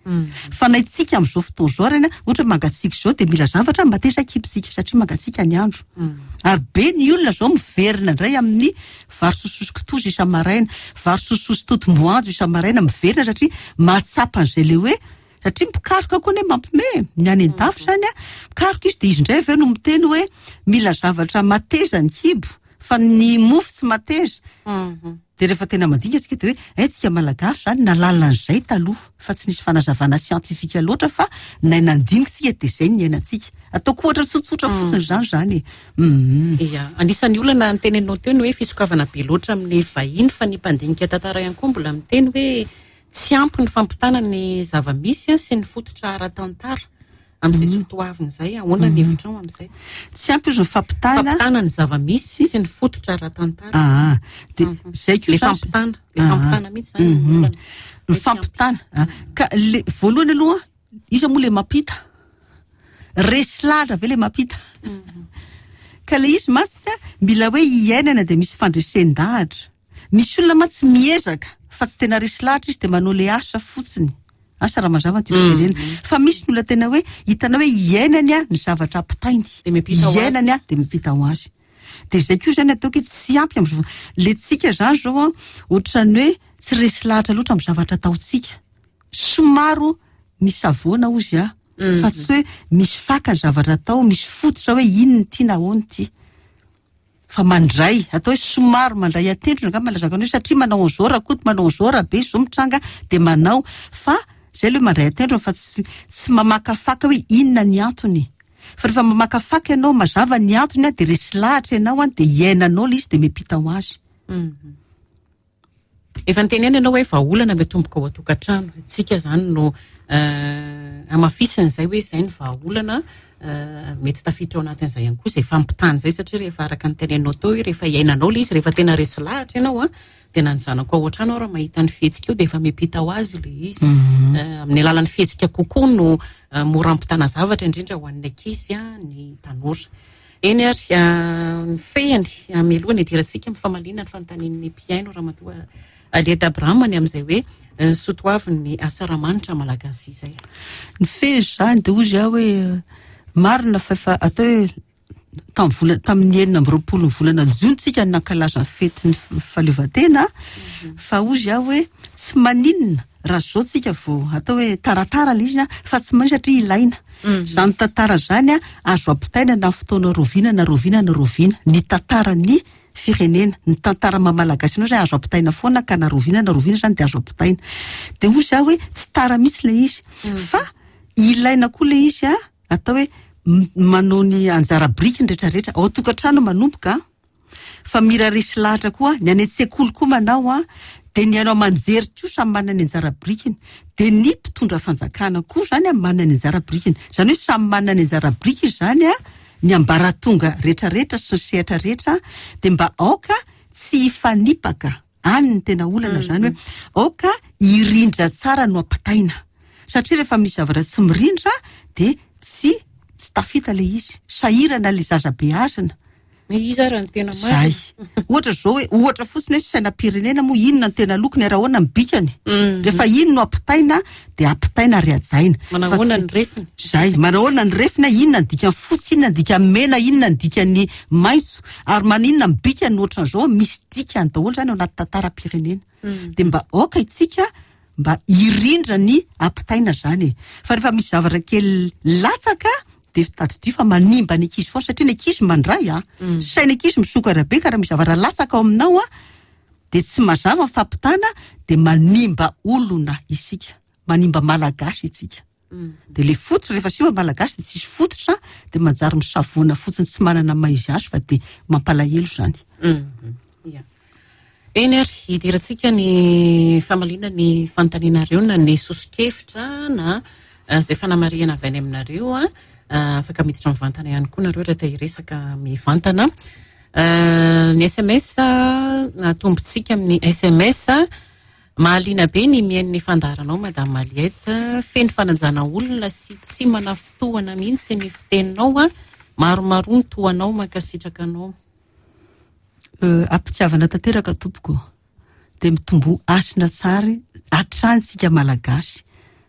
Fa na itsika amin'izao fotoana izao reny a, ohatra hoe mangatsiaka izao de mila zavatra mateza kibo tsika, satria mangatsiaka ny andro. Ary be ny olona zao miverina indray amin'ny vary sosoa sy kitoza isa-maraina, vary sosoa sy totom-boanjo isa-maraina, miverina satria mahatsapa an'izay le hoe, satria mpikaroka koa ne mampime ny any an-dafy zany a, mpikaroka izy de izy indray avy eo no miteny hoe mila zavatra mateza ny kibo, fa ny mofo tsy mateza. De rehefa tena mandinika tsika de hoe eh, tsika malagasy zany nalalana an'izay taloha, fa tsy nisy fanazavana siantifika loatra, fa nay nandinika tsika de zay ny niainantsika. Ataoko ohatra tsotsotra fotsiny zany zany e. Mhm.
Ia, anisan'ny olana nyteneninao teo ny hoe fisokavana be loatra amin'ny vahiny, fa ny mpandinika tantara ihany koa mbola miteny hoe tsy ampy ny fampitana ny zava-misy a sy ny fototra ara-tantara amin'izay soatoavina izay. Ahoana ny hevitrao amin'izay?
Tsy ampy izy ny fampitana.
Fampitana ny zava-misy sy ny fototra ara-tantara.
Ah, de zay koa
Le
zany.
fampitana, le
Ah.
fampitana mihitsy zany
Mhm.
ny olana.
Ny fampitana. Ah, ka le voalohany aloha, iza moa le mampita? Resy lahatra ve le mampita? Ka le izy mantsy ka mila hoe iainana de misy fandresen-dahatra. Misy olona mantsy miezaka fa tsy tena resy lahatra izy de manao le asa fotsiny. Asa raha mazava ny tiako tenenina. Fa misy ny olona tena hoe hitanao hoe iainany a ny zavatra ampitainy.
De miampita ho azy.
Iainany a de miampita ho azy. De zay koa zany ataoko hoe tsy ampy amin'izao. Le tsika zany zao a, ohatran'ny hoe tsy resy lahatra loatra amin'ny zavatra ataontsika. Somaro misy savoana ozy a. Fa tsy hoe misy faka ny zavatra atao, misy fototra hoe inona ity na ahoana ity. Fa mandray, atao hoe somary mandray atendrona angamba lazako anao, satria manao an'izao Rakoto, manao an'izao Rabe, izao mitranga de manao. Fa zay aloha mandray atendrona fa tsy, tsy mamakafaka hoe inona ny antony. Fa rehefa mamakafaka ianao, mazava ny antony a, de resy lahatra ianao a, de iainanao ilay izy de miampita ho azy.
Efa niteny ihany ianao hoe vahaolana miatomboka ao an-tokantrano. Tsika zany no, eh, hamafisina izay hoe izay ny vahaolana, eh, mety tafiditra ao anatin'izay ihany koa izay fampitana izay, satria rehefa araka ny teneninao teo hoe rehefa iainanao ilay izy, rehefa tena resy lahatra ianao a, de na ny zanako ao an-trano raha mahita ny fihetsika io de efa miampita ho azy ilay izy. Eh, amin'ny alalan'ny fihetsika kokoa no, eh, mora ampitana zavatra, indrindra ho an'ny ankizy a, ny tanora. Eny ary, eh, ny fehiny, eh, mialoha ny hidirantsika amin'ny famaliana ny fanontanian'ny mpihaino Ramatoa Aliette Abraham ny amin'izay hoe, eh, soatoavin'ny asaramanitra malagasy izay.
Ny fehiny zany de hoy aho hoe marina fa efa atao hoe tamin'ny vola tamin'ny enina amby roapolo ny volana jona tsika no nankalaza ny fetin'ny fahaleovantena, fa hozy aho hoe tsy maninona raha zao tsika vao atao hoe taratara ilay izy, fa tsy maninona satria ilaina. Zany tantara zany a azo ampitaina na fotoana roviana na roviana na roviana. Ny tantaran'ny firenena, ny tantara maha malagasy anao zany azo ampitaina foana, ka na roviana na roviana zany dia azo ampitaina. Dia hozy aho hoe tsy tara mihitsy ilay izy, fa ilaina koa ilay izy a atao hoe manao ny anjara biriky ny rehetrarehetra ao an-tokantrano manomboka, fa mira resy lahatra koa ny any an-tsekoly koa manao a, dia ny haino aman-jery koa samy manana ny anjara birikiny, dia ny mpitondra fanjakana koa zany a manana ny anjara birikiny. Zany hoe samy manana ny anjara biriky zany a ny ambaratonga rehetrarehetra sy ny sehatra rehetra, dia mba aoka tsy hifanipaka any ny tena olana zany, hoe aoka hirindra tsara no ampitaina, satria rehefa misy zavatra tsy mirindra dia tsy tsy tafita ilay izy, sahirana ilay zaza beazina.
Iza ary ny tena marina?
Zay. Ohatra zao hoe, ohatra fotsiny hoe sainam-pirenena moa inona ny tena lokony ary ahoana ny bikany? Rehefa iny no ampitaina dia ampitaina ary hajaina.
Manao ahoana ny refiny?
Zay, manao ahoana ny refiny, inona ny dikany fotsy, inona ny dikany mena, inona ny dikany maitso, ary maninona ny bikany ohatran'izao, misy dikany daholo zany ao anaty tantaram-pirenena. Dia mba aoka isika mba hirindra ny ampitaina zany e. Fa rehefa misy zavatra kely latsaka dia tadidio fa manimba ny ankizy foana, satria ny ankizy mandray a, saina ankizy misokatra be, ka raha misy zavatra latsaka ao aminao a dia tsy mazava ny fampitana, dia manimba olona isika, manimba malagasy isika. Dia le fototra rehefa simba malagasy dia tsisy fototra, dia manjary misavoana fotsiny tsy manana maha izy azy, fa dia mampalahelo zany.
Ia. Eny ary, hidirantsika ny famaliana ny fanontanianareo na ny soso-kevitra na izay fanamarihana avy any aminareo a. Afaka miditra mivantana ihany koa nareo raha te hiresaka mivantana. Ny S M S, atombontsika amin'ny S M S. Mahaliana be ny mihaino ny fandaharanao Madame Aliette, feno fanajana olona sy tsy manafotohana mihitsy ny fiteninao a. Maromaro ny tohanao, mankasitraka anao.
Ampitiavana tanteraka tompoko, dia mitombo hasina tsara hatrany tsika malagasy,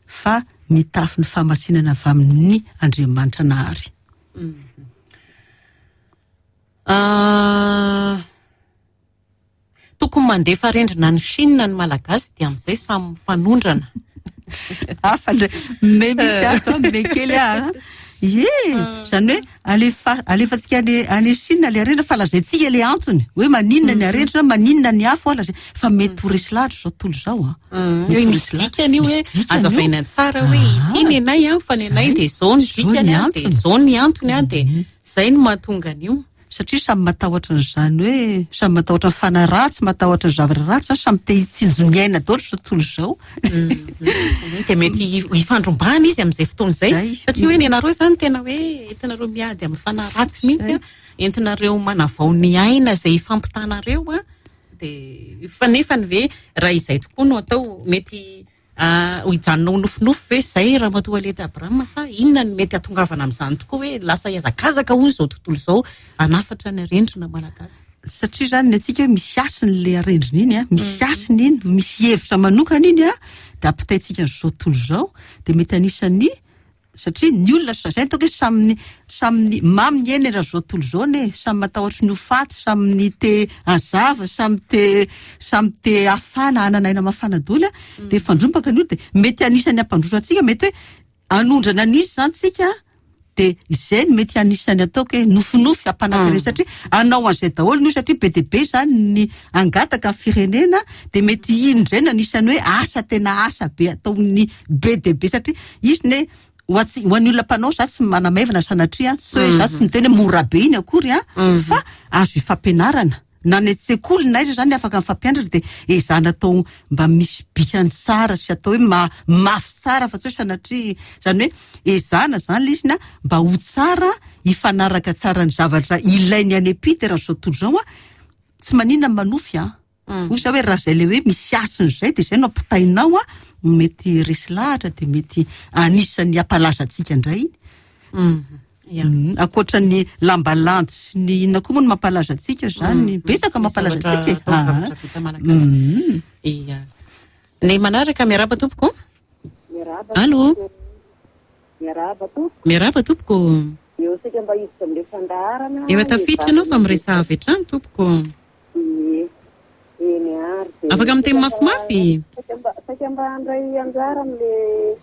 fa mitafy ny fahamasinana avy amin'ny Andriamanitra nahary.
Ah, tokony mandefa arendrina any Chine ny malagasy dia amin'izay samy mifanondrana.
Hafa indray, me mihitsy ato, me kely aho. Ie, zany hoe alefa, alefantsika any, any Chine le arendrina, fa lazaintsika le antony hoe maninona ny arendrina, maninona ny afo, lazay, fa mety ho resy lahatra izao tontolo izao a.
Mm.
Mety ho
Misy
resy lahatra.
dikany io hoe
Misy dikany io.
azavaina tsara hoe
Ah.
ity ny anay a, fa ny anay dia izao ny
Izao
dikany
ny
a, dia
antony.
izao ny antony a, dia izay no mahatonga an'io.
Satria samy matahotra an'izany hoe samy matahotra ny fanahy ratsy, matahotra ny zavatra ratsy, zany samy te hitsinjo ny aina daholo izao tontolo izao.
Mm. Dia mety hifandrombahana izy amin'izay fotoana izay.
Zay.
Satria hoe ny anareo izany tena hoe entinareo miady amin'ny fanahy ratsy mihitsy a, entinareo manavao ny aina izay hifampitanareo a, dia fa nefany ve raha izay tokoa no atao, mety, ah, ho hijanona ho nofinofy ve izay Ramatoa Aliette Abraham, sa inona no mety hahatongavana amin'izany tokoa hoe lasa hihazakazaka hono izao tontolo izao hanafatra ny arendrina malagasy?
Satria zany ny antsika hoe misy hasiny le arendrina iny a, misy hasiny iny, misy hevitra manokana iny a, dia ampitaintsika an'izao tontolo izao, dia mety anisan'ny, satria ny olona sa-, zay ataoko hoe samy ny, samy ny mamy ny aina raha izao tontolo izao ne, samy matahotra ny ho faty, samy ny te hazava, samy te, samy te hafana, hanana aina mafana daholo a, dia fandrombaka ny olona, dia mety anisan'ny hampandroso antsika, mety hoe hanondrana an'izy zany tsika, dia izay no mety anisan'ny ataoko hoe nofinofy hampanankarena, satria hanao an'izay daholo ny olona, satria be dia be zany ny hangataka ny firenena, dia mety iny indray no anisan'ny hoe asa tena asa be ataon'ny be dia be, satria izy ne ho antsy-, ho an'ny olona mpanao, za tsy manamaivana sanatria, tsy hoe za tsy miteny hoe mora be iny akory a, fa azo ifampianarana. Na ny an-tsekoly na aiza zany afaka mifampianatra, dia ezahana atao mba misy bikany tsara sy atao hoe ma-, mafy tsara, fa tsy hoe sanatria, zany hoe ezahana zany ilay izy na mba ho tsara, hifanaraka tsara ny zavatra ilainy any am-pita raha izao tontolo izao a, tsy maninona ny manofy a.
Mm.
Hoy za hoe raha izay ilay hoe misy hasiny izay, dia izay no ampitainao a, mety resy lahatra, dia mety anisan'ny hampalaza antsika indray iny.
Mm. Ya.
Mm. Ankoatra ny lambalandy sy ny inona koa moa no mampalaza antsika zany,
Mm.
betsaka mampalaza
Zavatra
antsika e.
atao
Ah.
zavatra vita malagasy.
Mm.
Ia. Ny manaraka, miarahaba tompoko.
Miarahaba.
Allô?
Miarahaba tompoko.
Miarahaba tompoko.
Eo saika mba hiditra amin'ilay fandaharana.
Efa tafiditra ianao fa miresaha avy hatrany tompoko.
Ie. Eny ary. Dia
Afaka miteny mafimafy?
Saika mba saika mba handray anjara amin'ilay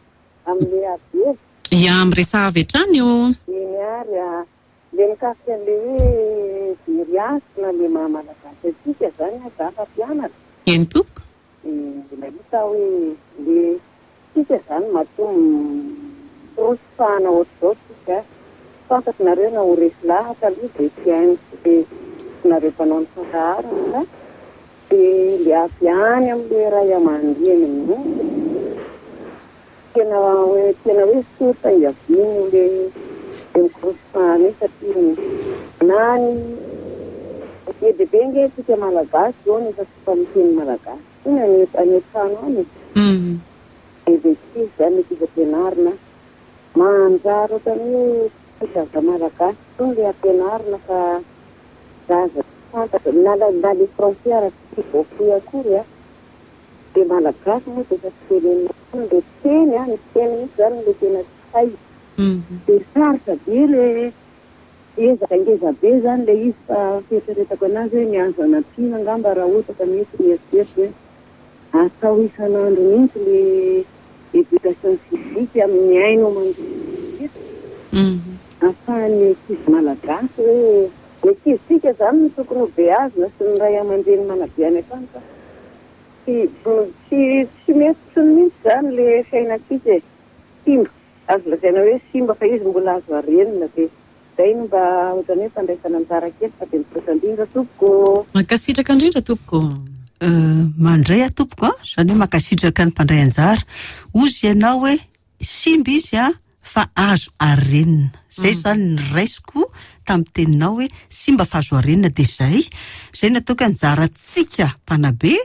amin'ilay ady hevitra.
Ia, miresaha avy hatrany io.
Eny ary a. Ilay mikasika an'ilay hoe very hasina ilay maha malagasy antsika izany a, za mpampianatra.
Eny tompoko.
Dia nahita aho hoe ilay tsika izany matoa mikorosofahana ohatr'izao tsika. Fantatro nareo na ho resy lahatra aloha dia tsy haino sy nareo mpanao ny fandaharana dia ilay avy any amin'ilay ray aman-dreny mihitsy. Tena hoe tena hoe source iaviany ilay ilay mikorosofahana io satria na ny be dia be nge tsika malagasy zao nefa tsy fa miteny malagasy intsony any any an-trano any. Dia dia tsy izy izany ankizy ampianarina manjary ohatran'ny hoe tsy zaza malagasy intsony ilay ampianarina fa zaza tsy fantatra na na le français ara tsy voafohy akory a. Dia malagasy moa dia efa tsy tenenina intsony ilay teny a, ny teny mihitsy izany ilay tena tsy hay. Dia sarotra be ilay ezaka ngeza be izany ilay izy fa fieritreretako anazy hoe ny azo anampiana angamba raha ohatra ka mety ny eritreritra hoe atao isan'andro mihitsy ilay éducation civique amin'ny haino aman-jery ahafahan'ny ankizy malagasy hoe ny ankizitsika izany no tokony ho beazina sy ny ray aman-dreny manabe any an-trano fa tsy tsy tsy mety intsony mihitsy izany ilay fiainantsika e. Simba, azo lazaina hoe simba fa izy mbola azo arenina dia izay no mba ohatran'ny hoe fandraisana anjara kely fa dia misaotra indrindra tompoko.
Mankasitraka indrindra tompoko.
Mandray aho tompoko a, izany hoe mankasitraka ny mpandray anjara. Hozy ianao hoe simba izy a fa azo arenina. Izay izany ny raisiko tamin'ny teninao hoe simba fa azo arenina dia izay. Izay no ataoko anjarantsika mpanabe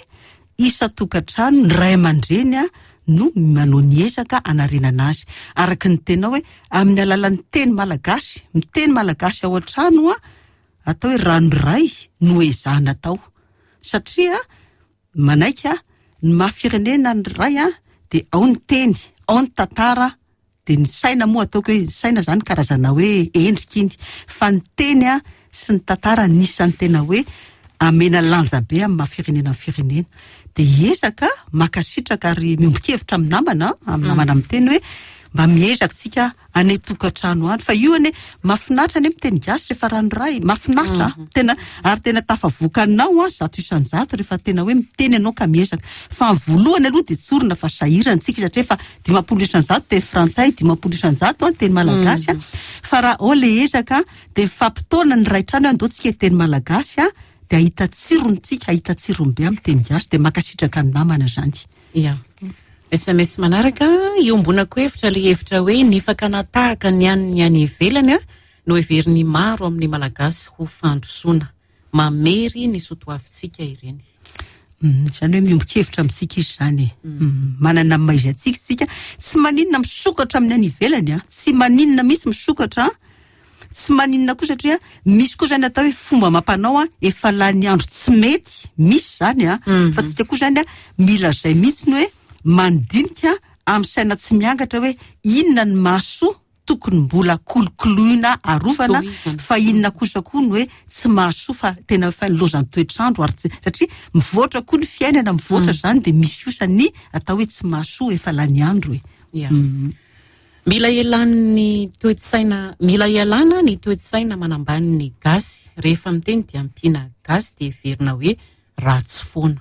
isan-tokantrano ny ray aman-dreny a no manao ny ezaka hanarenana azy. Araka ny teninao hoe amin'ny alalan'ny teny malagasy, miteny malagasy ao an-trano a, atao hoe ranoray no ezahana atao. Satria manaiky ny maha firenena ny ray a, dia ao ny teny, ao ny tantara, dia ny saina moa ataoko hoe ny saina izany karazana hoe endrika iny. Fa ny teny a sy ny tantara anisan'ny tena hoe amena lanja be amin'ny maha firenena ny firenena. Dia ezaka mankasitraka ary miombon-kevitra amin'ny namana, amin'ny namana miteny hoe mba miezaka tsika any an-tokantrano any. Fa io anie mahafinaritra anie miteny gasy rehefa ranoray, mahafinaritra tena ary tena tafavoakanao a zato isan-jato rehefa tena hoe miteny ianao ka miezaka. Fa ny voalohany aloha dia tsorina fa sahirana tsika satria efa dimampolo isan-jato teny frantsay, dimampolo isan-jato a teny malagasy a. Fa raha ao ilay ezaka dia mifampitaona ny ray trano hoe andao tsika hiteny malagasy a, dia ahita tsirony tsika, ahita tsirony be amin'ny teny gasy dia mankasitraka ny namana izany.
Ia. S M S manaraka, iombonako hevitra ilay hevitra hoe ny fakana tahaka ny an'ny any ivelany a no heverin'ny maro amin'ny malagasy ho fandrosoana. Mamery ny soatoavintsika ireny.
Izany hoe miombon-kevitra amintsika izy izany e. Manana ny maha izy antsika isika. Tsy maninona misokatra amin'ny any ivelany a, tsy maninona mihitsy misokatra, tsy maninona koa satria misy koa izany atao hoe fomba mampanao a efa lany andro tsy mety, misy izany a. Fa tsika koa izany a mila izay mihitsy ny hoe mandinika amin'ny saina tsy miangatra hoe inona ny mahasoa tokony mbola kolokoloina arovana, fa inona kosa koa ny hoe tsy mahasoa fa tena fa lozan'ny toetrandro ary tsy, satria mivoatra koa ny fiainana, mivoatra izany dia misy kosa ny atao hoe tsy mahasoa efa lany andro e.
Ia. Mila ialan'ny toe-tsaina, mila ialana ny toe-tsaina manambany ny gasy. Rehefa miteny dia ampiana gasy dia heverina hoe ratsy foana.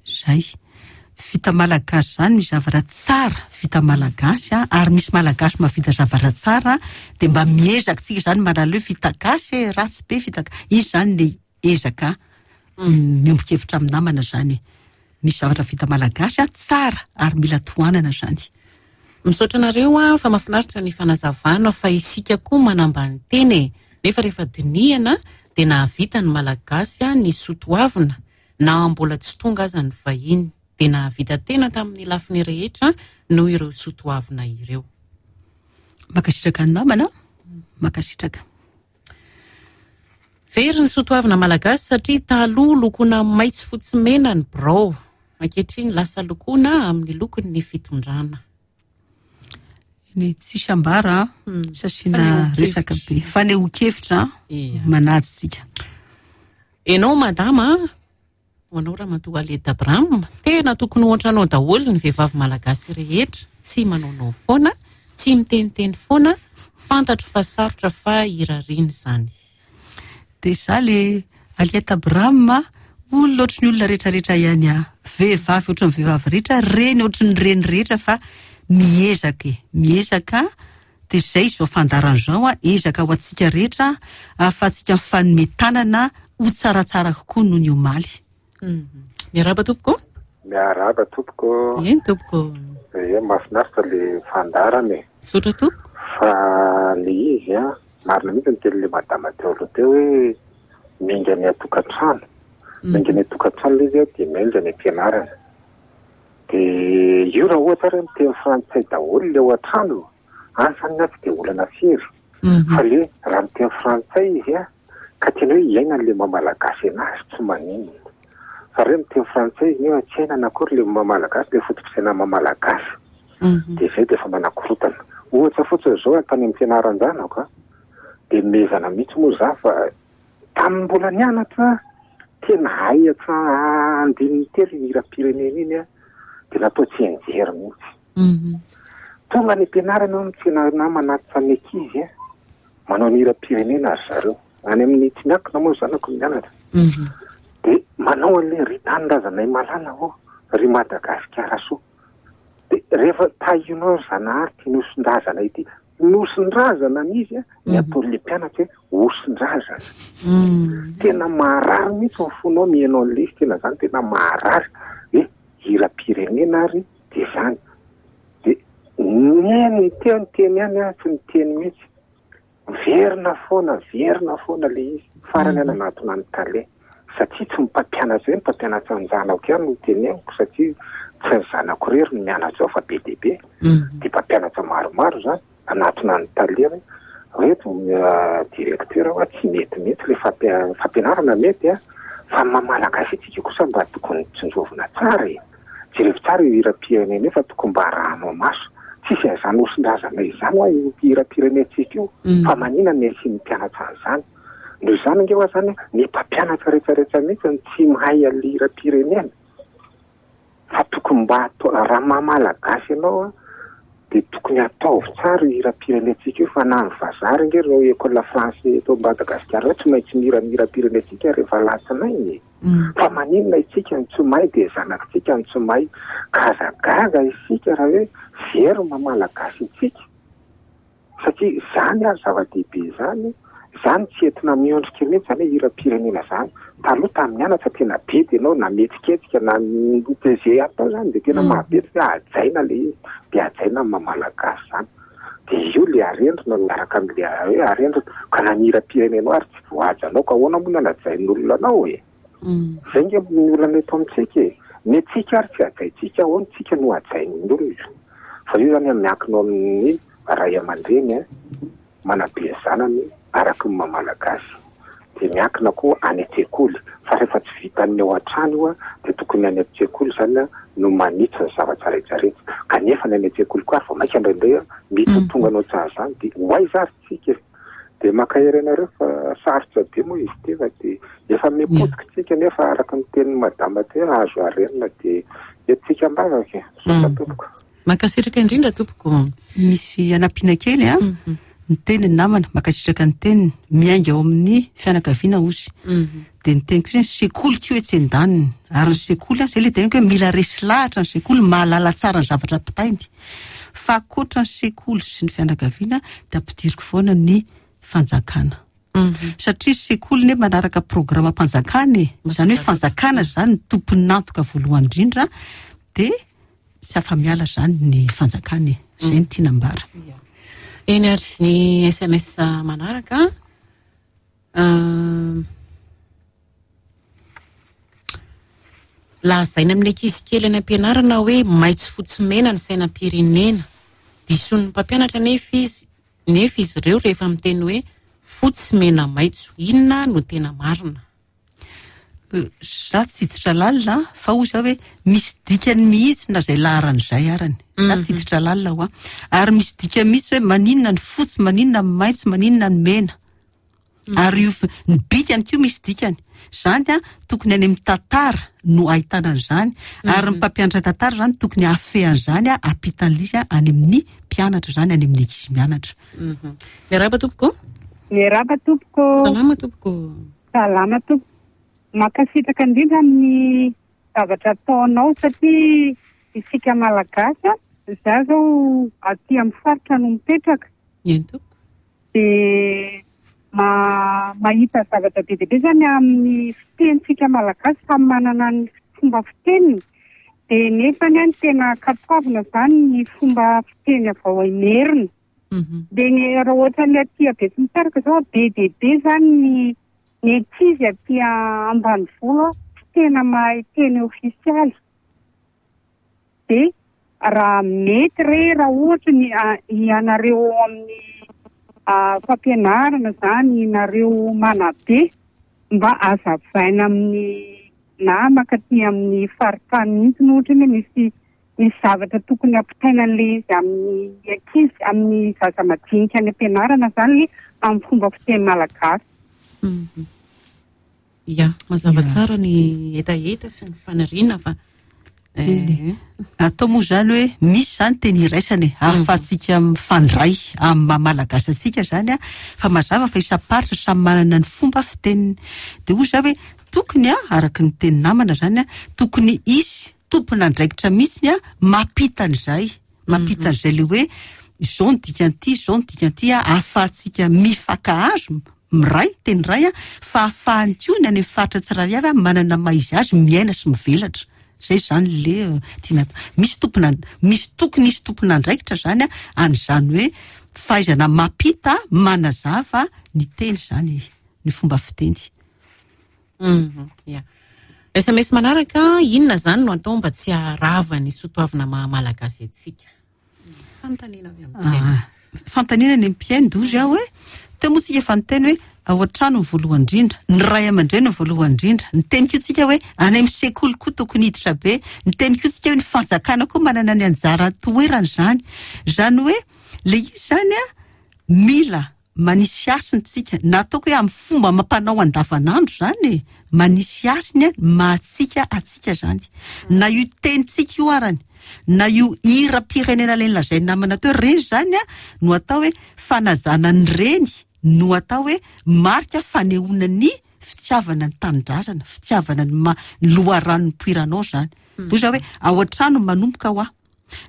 Zay. Vita malagasy izany misy zavatra tsara vita malagasy a, ary misy malagasy mahavita zavatra tsara dia mba miezaka tsika izany manala hoe vita gasy e, ratsy be vita gasy. Izy izany ny ezaka miombon-kevitra amin'ny namana izany e. Misy zavatra vita malagasy a tsara ary mila tohanana izany.
Misaotra anareo a fa mahafinaritra ny fanazavana fa isika koa manambany teny e. Nefa rehefa dinihana dia nahavita ny malagasy a ny soatoavina na mbola tsy tonga aza ny vahiny. Dia nahavita tena tamin'ny lafiny rehetra noho ireo soatoavina ireo.
Mankasitraka ny namana, mankasitraka.
Very ny soatoavina malagasy satria taloha lokoana maitso fotsy mena ny birao. Ankehitriny lasa lokoana amin'ny lokon'ny fitondrana.
Ny tsisy ambara, tsy asiana resaka be. Fanehoan-kevitra manaja tsika.
Ianao madama, ho anao Ramatoa Aliette Abraham, tena tokony ho ohatranao daholo ny vehivavy malagasy rehetra, tsy manaonao foana, tsy miteniteny foana, fantatro fa sarotra fa irariana izany.
Dia za le Aliette Abraham, olona ohatry ny olona rehetrarehetra ihany aho. Vehivavy ohatry ny vehivavy rehetra, reny ohatry ny reny rehetra, fa miezaka e, miezaka. Dia izay izao fandaharana izao, ezaka ho antsika rehetra, ahafahantsika mifanome tanana ho tsaratsara kokoa noho ny omaly.
Miarahaba tompoko.
Miarahaba tompoko.
Eny tompoko.
Ie, mahafinaritra le fandaharana e.
Misaotra tompoko.
Fa le izy a, marina mihitsy ny tenin'le madama teo aloha teo hoe miainga ny atokantrano. Miainga ny atokantrano le izy a, dia miainga ny am-pianarana. Dia io raha ohatra ary miteny frantsay daholo le ao an-trano, any zany ny tsy dia olana firy. Fa le raha miteny frantsay izy a, ka tena hoe iainana le maha malagasy anazy tsy maninona. Fa raha miteny frantsay izy nefa tsy iainana akory le maha malagasy, le foto-pisainana maha malagasy. Dia izay dia efa manakorotana. Ohatra fotsiny izao tany amin'ny fianaran-janako a, dia mezana mihitsy moa za fa tamin'ny mbola nianatra tena hay andininy telo ny hiram-pirenena iny a, dia natao tsy enjery mihitsy. Tonga ny am-pianarana eo amin'ny tsena manatitra ny ankizy a, manao ny hiram-pirenena ry zareo. Any amin'ny tsy miankina moa zanako mianatra. Dia manao an'ilay ry tanindrazanay malala ô, ry Madagasikara soa. Dia rehefa tahinao ry Zanahary ty nosindrazana ity, nosindrazana an'izy a, ny ataon'ilay mpianatra hoe osindrazana. Tena maharary mihitsy ny fonao mihaino an'ilay izy, tena zany tena maharary. Hoe hiram-pirenena ary dia zany. Dia nihaino niteny teny ihany aho, tsy niteny mihitsy. Verina foana, verina foana le izy. Farany aho nanatona ny tale. Satria tsy mpampianatra hoe mpampianatra ny zanako ihany no teneniko, satria tsy ny zanako irery no mianatra ao fa be dia be. Dia mpampianatra maromaro zany. Nanatona ny tale hoe reto directeur hoa tsy mety mihitsy le fampianarana mety a, fa ny maha malagasy antsika kosa mba tokony tsinjovina tsara e. Jereo tsara io hiram-pirenena io fa tokony mba arahanao maso. Tsisy an'izany osindrazana izany hoa io hiram-pirenentsika io, fa manina ny asian'ny mpianatra an'izany. Noho izany ange hoa zany ny mpampianatra rehetrarehetra mihitsy no tsy mahay an'ilay hiram-pirenena. Fa tokony mba atao, raha maha malagasy ianao a, dia tokony ataovy tsara io hiram-pirenentsika io, fa na ny vazaha ary ange ireo école français eto Madagasikara ireo tsy maintsy mihira ny hiram-pirenentsika rehefa alatsinainy e. Fa maninona isika no tsy mahay, dia zanakitsika no tsy mahay. Gazagaza isika raha hoe very maha malagasy antsika. Satria izany ary zava-dehibe izany, izany tsy entina miondrika mihitsy izany hoe hiram-pirenena izany. Taloha tamin'ny anatra tena bedy ianao, na mihetsiketsika na izay atao izany dia tena mahabedy hoe hajaina ilay izy, dia hajaina ny maha malagasy izany. Dia io ilay arendrina miaraka amin'ilay hoe arendrina, ka na ny hiram-pirenenao ary tsy voahajanao, ka ahoana moa no hanajain'olona anao e? Izay nge ny olana eto amintsika e. Ny antsika ary tsy hajaintsika, ahoana tsika no hajain'ny olona? Fa io izany miankina amin'ny ray aman-dreny manabe zanany araka ny maha malagasy. Dia miankina koa any an-tsekoly, fa rehefa tsy vitan'ny ao an-trano io dia tokony any an-tsekoly izany no manitsy ny zavatra rehetrarehetra. Kanefa ny any an-tsekoly koa ary vao mainka indraindray mety ho tonga anao tsara izany, dia ho aiza ary tsika e? Dia mankahery anareo fa sarotra be moa izy ity, fa dia efa mipotika tsika nefa araka ny tenin'ny madama teo hoe azo arenina, dia entintsika am-bavaka e. Misaotra tompoko.
Mankasitraka indrindra tompoko.
Misy anampiana kely a. Ny teniny namana, mankasitraka ny teniny, miainga ao amin'ny fianakaviana ozy. Dia ny teniko hoe ny sekoly koa etsy an-daniny. Ary ny sekoly, izay ilay teniko hoe mila resy lahatra ny sekoly, mahalala tsara ny zavatra ampitainy. Fa ankoatra ny sekoly sy ny fianakaviana, dia ampidiriko foana ny fanjakana. Satria sekoly ne manaraka programam-panjakana e. Izany hoe fanjakana izany ny tompon'antoka voalohany indrindra, dia tsy afa-miala izany ny fanjakana e. Izay no tiana ambara.
Eny ary ny S M S manaraka. Lazaina amin'ny ankizy kely any am-pianarana hoe maitso fotsy mena ny sainam-pirenena. Disoin'ny mpampianatra nefa izy, nefa izy ireo rehefa miteny hoe fotsy mena maitso. Inona no tena marina?
Za tsy hiditra lalina fa hoy za hoe misy dikany mihitsy na izay laharana izay arany. Za tsy hiditra lalina ho aho. Ary misy dikany mihitsy hoe maninona ny fotsy, maninona ny maitso, maninona ny mena. Ary io ny bikany koa misy dikany. Zany a tokony any amin'ny tantara no ahitana an'izany. Ary ny mpampianatra tantara zany tokony hahafehy an'izany a hampitan'ilay izy any amin'ny mpianatra zany, any amin'ny ankizy mianatra.
Miarahaba tompoko.
Miarahaba tompoko.
Salama tompoko.
Salama tompoko. Mankasitraka indrindra amin'ny zavatra ataonao satria isika Malagasy, za zao aty amin'ny faritra no mipetraka.
Eny tompoko.
Dia ma-, mahita zavatra be dia be zany amin'ny fitenintsika Malagasy, samy manana ny fomba fiteniny. Dia nefa ny any tena ankatoavina zany ny fomba fiteny avy ao Imerina. Dia ny raha ohatra ny aty Betsimisaraka zao, be dia be zany ny, ny ankizy aty ambanivolo tsy tena mahay teny ofisialy. Dia raha mety re, raha ohatra ny, a, ianareo ao amin'ny, a, fampianarana zany, nareo manabe, mba azavaina amin'ny namaka aty amin'ny faritany mihitsy no ohatra hoe misy, misy zavatra tokony hampitaina an'ilay izy amin'ny ankizy, amin'ny zaza madinika any am-pianarana zany amin'ny fomba fiteny malagasy.
Mhm. Ya, mazava
Ya.
tsara ny hetaheta sy ny faniriana fa,
Eny.
eh,
Atao moa zany hoe misy zany teny iraisana e, ahafahantsika mifandray amin'ny maha malagasy antsika zany a, fa mazava fa isam-paritra samy manana ny fomba fiteniny. Dia hoy za hoe tokony a, araka ny teny namana zany a, tokony hisy tompon'andraikitra mihitsy a, mampita an'izay, mampita an'izay le hoe izao ny dikan'ity, izao ny dikan'ity a, ahafahantsika mifankahazo, miray, teny iray a, fa ahafahany koa ny any amin'ny faritra tsirairay avy a, manana maha izy azy, miaina sy mivelatra. Zay zany le, eh, tiana atao. Misy tompona, misy tokony hisy tompon'andraikitra zany a, an'izany hoe fahaizana mampita, manazava ny teny zany, ny fomba fiteny.
Mhm, ya. S M S manaraka, inona zany no atao mba tsy haharava ny soatoavina maha malagasy antsika? Fanontaniana avy amin'ny mpihaino.
Ah, fanontaniana ny mpihaino dozy aho hoe, teo moa tsika efa niteny hoe ao an-trano ny voalohany indrindra, ny ray aman-dreny ny voalohany indrindra. Ny teny koa tsika hoe any amin'ny sekoly koa tokony hiditra be. Ny teny koa tsika hoe ny fanjakana koa manana ny anjara toerana izany. Izany hoe le izy zany a, mila manisy hasiny tsika, na ataoko hoe amin'ny fomba mampanao andavanandro zany e, manisy hasiny a, mahatsika atsika zany. Na io tenintsika io arany, na io hiram-pirenena ilay nolazain'ny namana teo, reny zany a, no atao hoe fanajana ny reny, no atao hoe marika fanehoana ny fitiavana ny tanindrazana, fitiavana ny ma-, ny loharano nipoiranao zany.
Mm.
Toy izao hoe ao an-trano manomboka ho aho.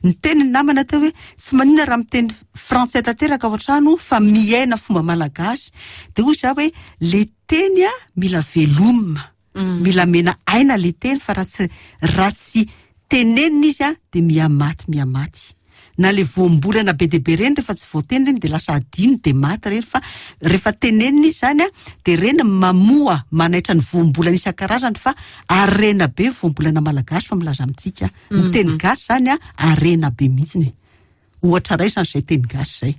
Ny teny ny namana teo hoe tsy maninona raha miteny frantsay tanteraka ao an-trano fa miaina fomba malagasy. Dia hoy za hoe le teny a mila velomina,
Mm.
mila mena aina le teny, fa raha tsy, raha tsy tenenina izy a dia mihamaty, mihamaty. Na le voambolana be dia be reny rehefa tsy voateny reny dia lasa adino dia maty reny, fa rehefa tenenina izy zany a dia reny mamoa manaitra ny voambolana isan-karazany, fa harena be voambolana malagasy fa milaza amintsika. Ny
Mhm.
teny gasy zany a harena be mihitsiny. Ohatra iray zany izay teny gasy izay.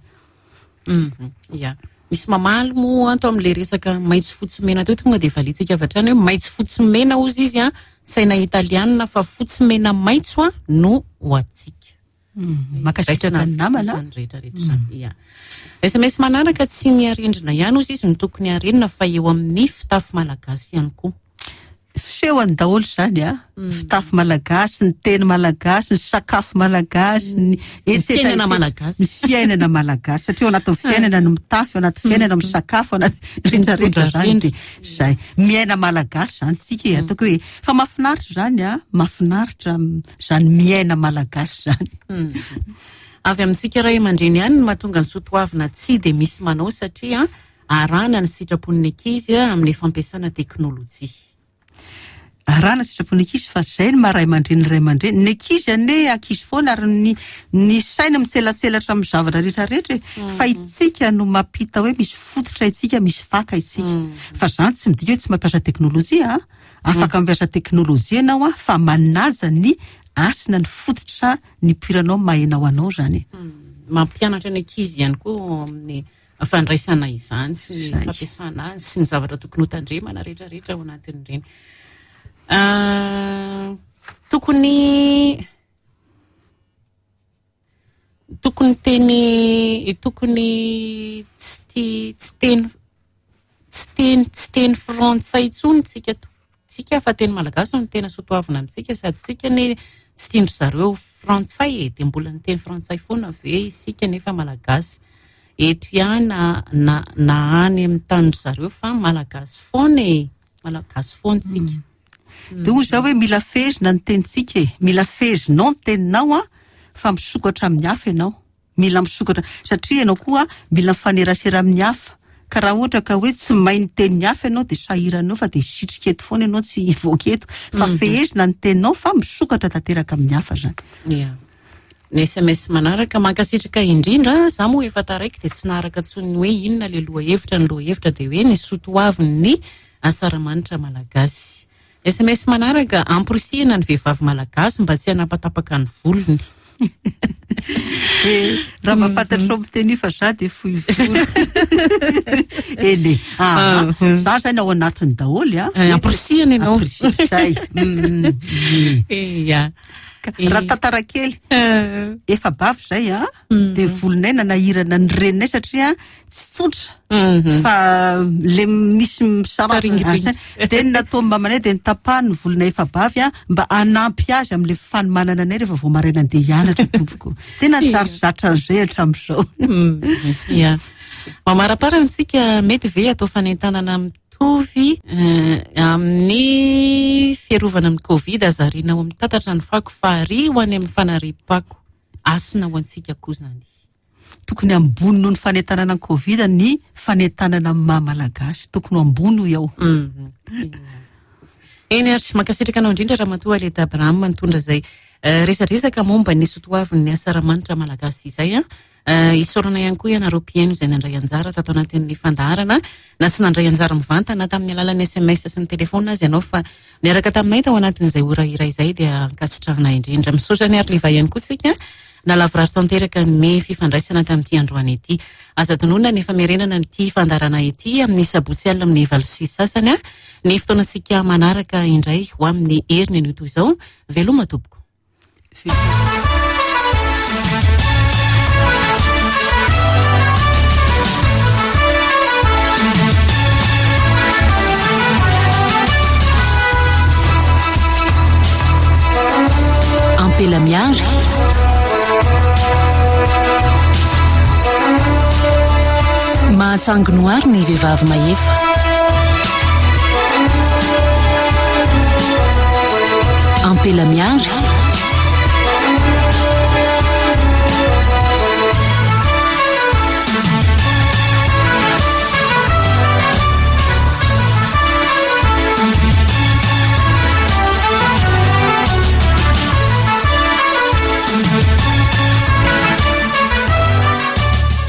Mhm. Ya. Misy mamaly moa anto amin'ilay resaka maitso fotsy mena teo, tonga dia valiantsika avy hatrany hoe maitso fotsy mena hozy izy a, saina italianina, fa fotsy mena maitso a no ho antsika.
Mm, mankasitraka ny namana.
Izany rehetra rehetra izany. Ya. S M S manaraka, tsy ny arendrina ihany hozy izy no tokony harenina fa eo amin'ny fitafy malagasy ihany koa.
Fisehony daholo izany a.
Mm.
Fitafy malagasy, ny teny malagasy, ny sakafo malagasy, ny
Ny
et cetera,
fiainana
et cetera.
malagasy.
Ny fiainana malagasy. Satria ao anatin'ny fiainana no mitafy, ao anatin'ny fiainana misakafo, ao anaty rehetra rehetra izany dia izay. Miaina malagasy izany tsika e, ataoko hoe fa mahafinaritra izany a, mahafinaritra izany miaina malagasy izany.
Mm. Avy amintsika ray aman-dreny ihany no mahatonga ny soatoavina tsy dia misy manao, satria arahana ny sitrapon'ny ankizy amin'ny fampiasana teknôlôjia.
Arahana sitrapon'ny ankizy, fa izay no maha ray aman-dreny ray aman-dreny. Ny ankizy anie ankizy foana, ary ny, ny saina mitselatselatra amin'ny zavatra rehetra rehetra e.
Mm.
Fa itsika no mampita hoe misy fototra itsika, misy faka itsika.
Mm.
Fa izany tsy midika hoe tsy mampiasa teknôlôjia a. Afaka
Mm.
mampiasa teknôlôjia ianao a, fa manaja ny hasina, ny fototra nipoiranao maha-enao anao zany e.
Mm. Mampianatra ny ankizy ihany koa amin'ny fandraisana izany sy ny
Zay.
fampiasana azy sy ny zavatra tokony hotandremana rehetra rehetra ao anatin'ireny. Tokony tokony teny tokony tsy tsy teny tsy teny tsy teny frantsay intsony tsika tsika fa teny malagasy no tena soatoavina amintsika, sady tsika ne tsy tian-dry zareo frantsay e, dia mbola ny teny frantsay foana ve isika nefa malagasy eto ihany na na na any amin'ny tanin-dry zareo fa malagasy foana e, malagasy foana tsika.
Dia hoy zaho hoe mila fehezina ny tenintsika e, mila fehezinao ny teninao a, fa misokatra amin'ny hafa ianao, mila misokatra satria ianao koa mila mifanerasera amin'ny hafa. Ka raha ohatra ka hoe tsy mahay ny tenin'ny hafa ianao dia sahiranao fa dia sitrika eto foana ianao, tsy hivoaka eto. Fa fehezina ny teninao fa misokatra tanteraka amin'ny hafa zany.
Ia. Ny S M S manaraka, mankasitraka indrindra, za moa efa taraiky dia tsy naharaka intsony hoe inona le lohahevitra, ny lohahevitra dia hoe ny soatoavin'ny asaramanitra malagasy. S M S manaraka, amporisihina ny vehivavy malagasy mba tsy hanapatapaka ny volony.
Eh, raha mba fantatrao miteny io fa za dia fohy volo. Eny e. Ah, za zany ao anatiny daholo a.
Eh, amporisihina ianao.
Amporisihina, zay. Mm, mm.
Ia.
Ka, raha tantara kely,
Eh.
efa bavy zay a,
Mm.
dia volonay nanahirana ny reninay satria tsy tsotra.
Mhm.
Fa le misy misaraka
Saringiringy.
Dia ny nataon'ny mamanay dia nitapahany ny volonay efa bavy a, mba hanampy azy amin'ilay fanomanana anay rehefa vao maraina andeha hianatra tompoko. Tena tsary zatra an'izay hatramin'izao.
Mm. Ia. Mamaraparana isika, mety ve atao fanentanana mitovy, eh, amin'ny fiarovana amin'ny Covid, azariana ao amin'ny tatatra ny fako fahary ho any amin'ny fanariam-pako, asina ho antsika koa zany.
Tokony ambony noho ny fanentanana ny Covid ny fanentanana amin'ny maha malagasy, tokony ho ambony io ao.
Mm. Eny ary, mankasitraka anao indrindra Ramatoa Aleta Abraham nitondra izay, eh, resadresaka momba ny soatoavin'ny asaramanitra malagasy izay a. Eh, isaorana ihany koa ianareo mpihaino izay nandray anjara tato anatin'ny fandaharana, na tsy nandray anjara mivantana tamin'ny alalan'ny S M S sy ny telefona azy ianao, fa niaraka taminay tao anatin'izay ora iray izay dia ankasitrahana indrindra. Misaotra ny Arliva ihany koa tsika nalavorary tanteraka ny fifandraisana tamin'ity androany ity. Aza adinoina ny famerenana ity fandaharana ity amin'ny sabotsy alina amin'ny valo sy sasany a, ny fotoanantsika manaraka indray ho amin'ny heriny anio toy izao. Veloma tompoko.
Ampela miary. Mahatsangy noary ny vehivavy mahefa. Ampela miary.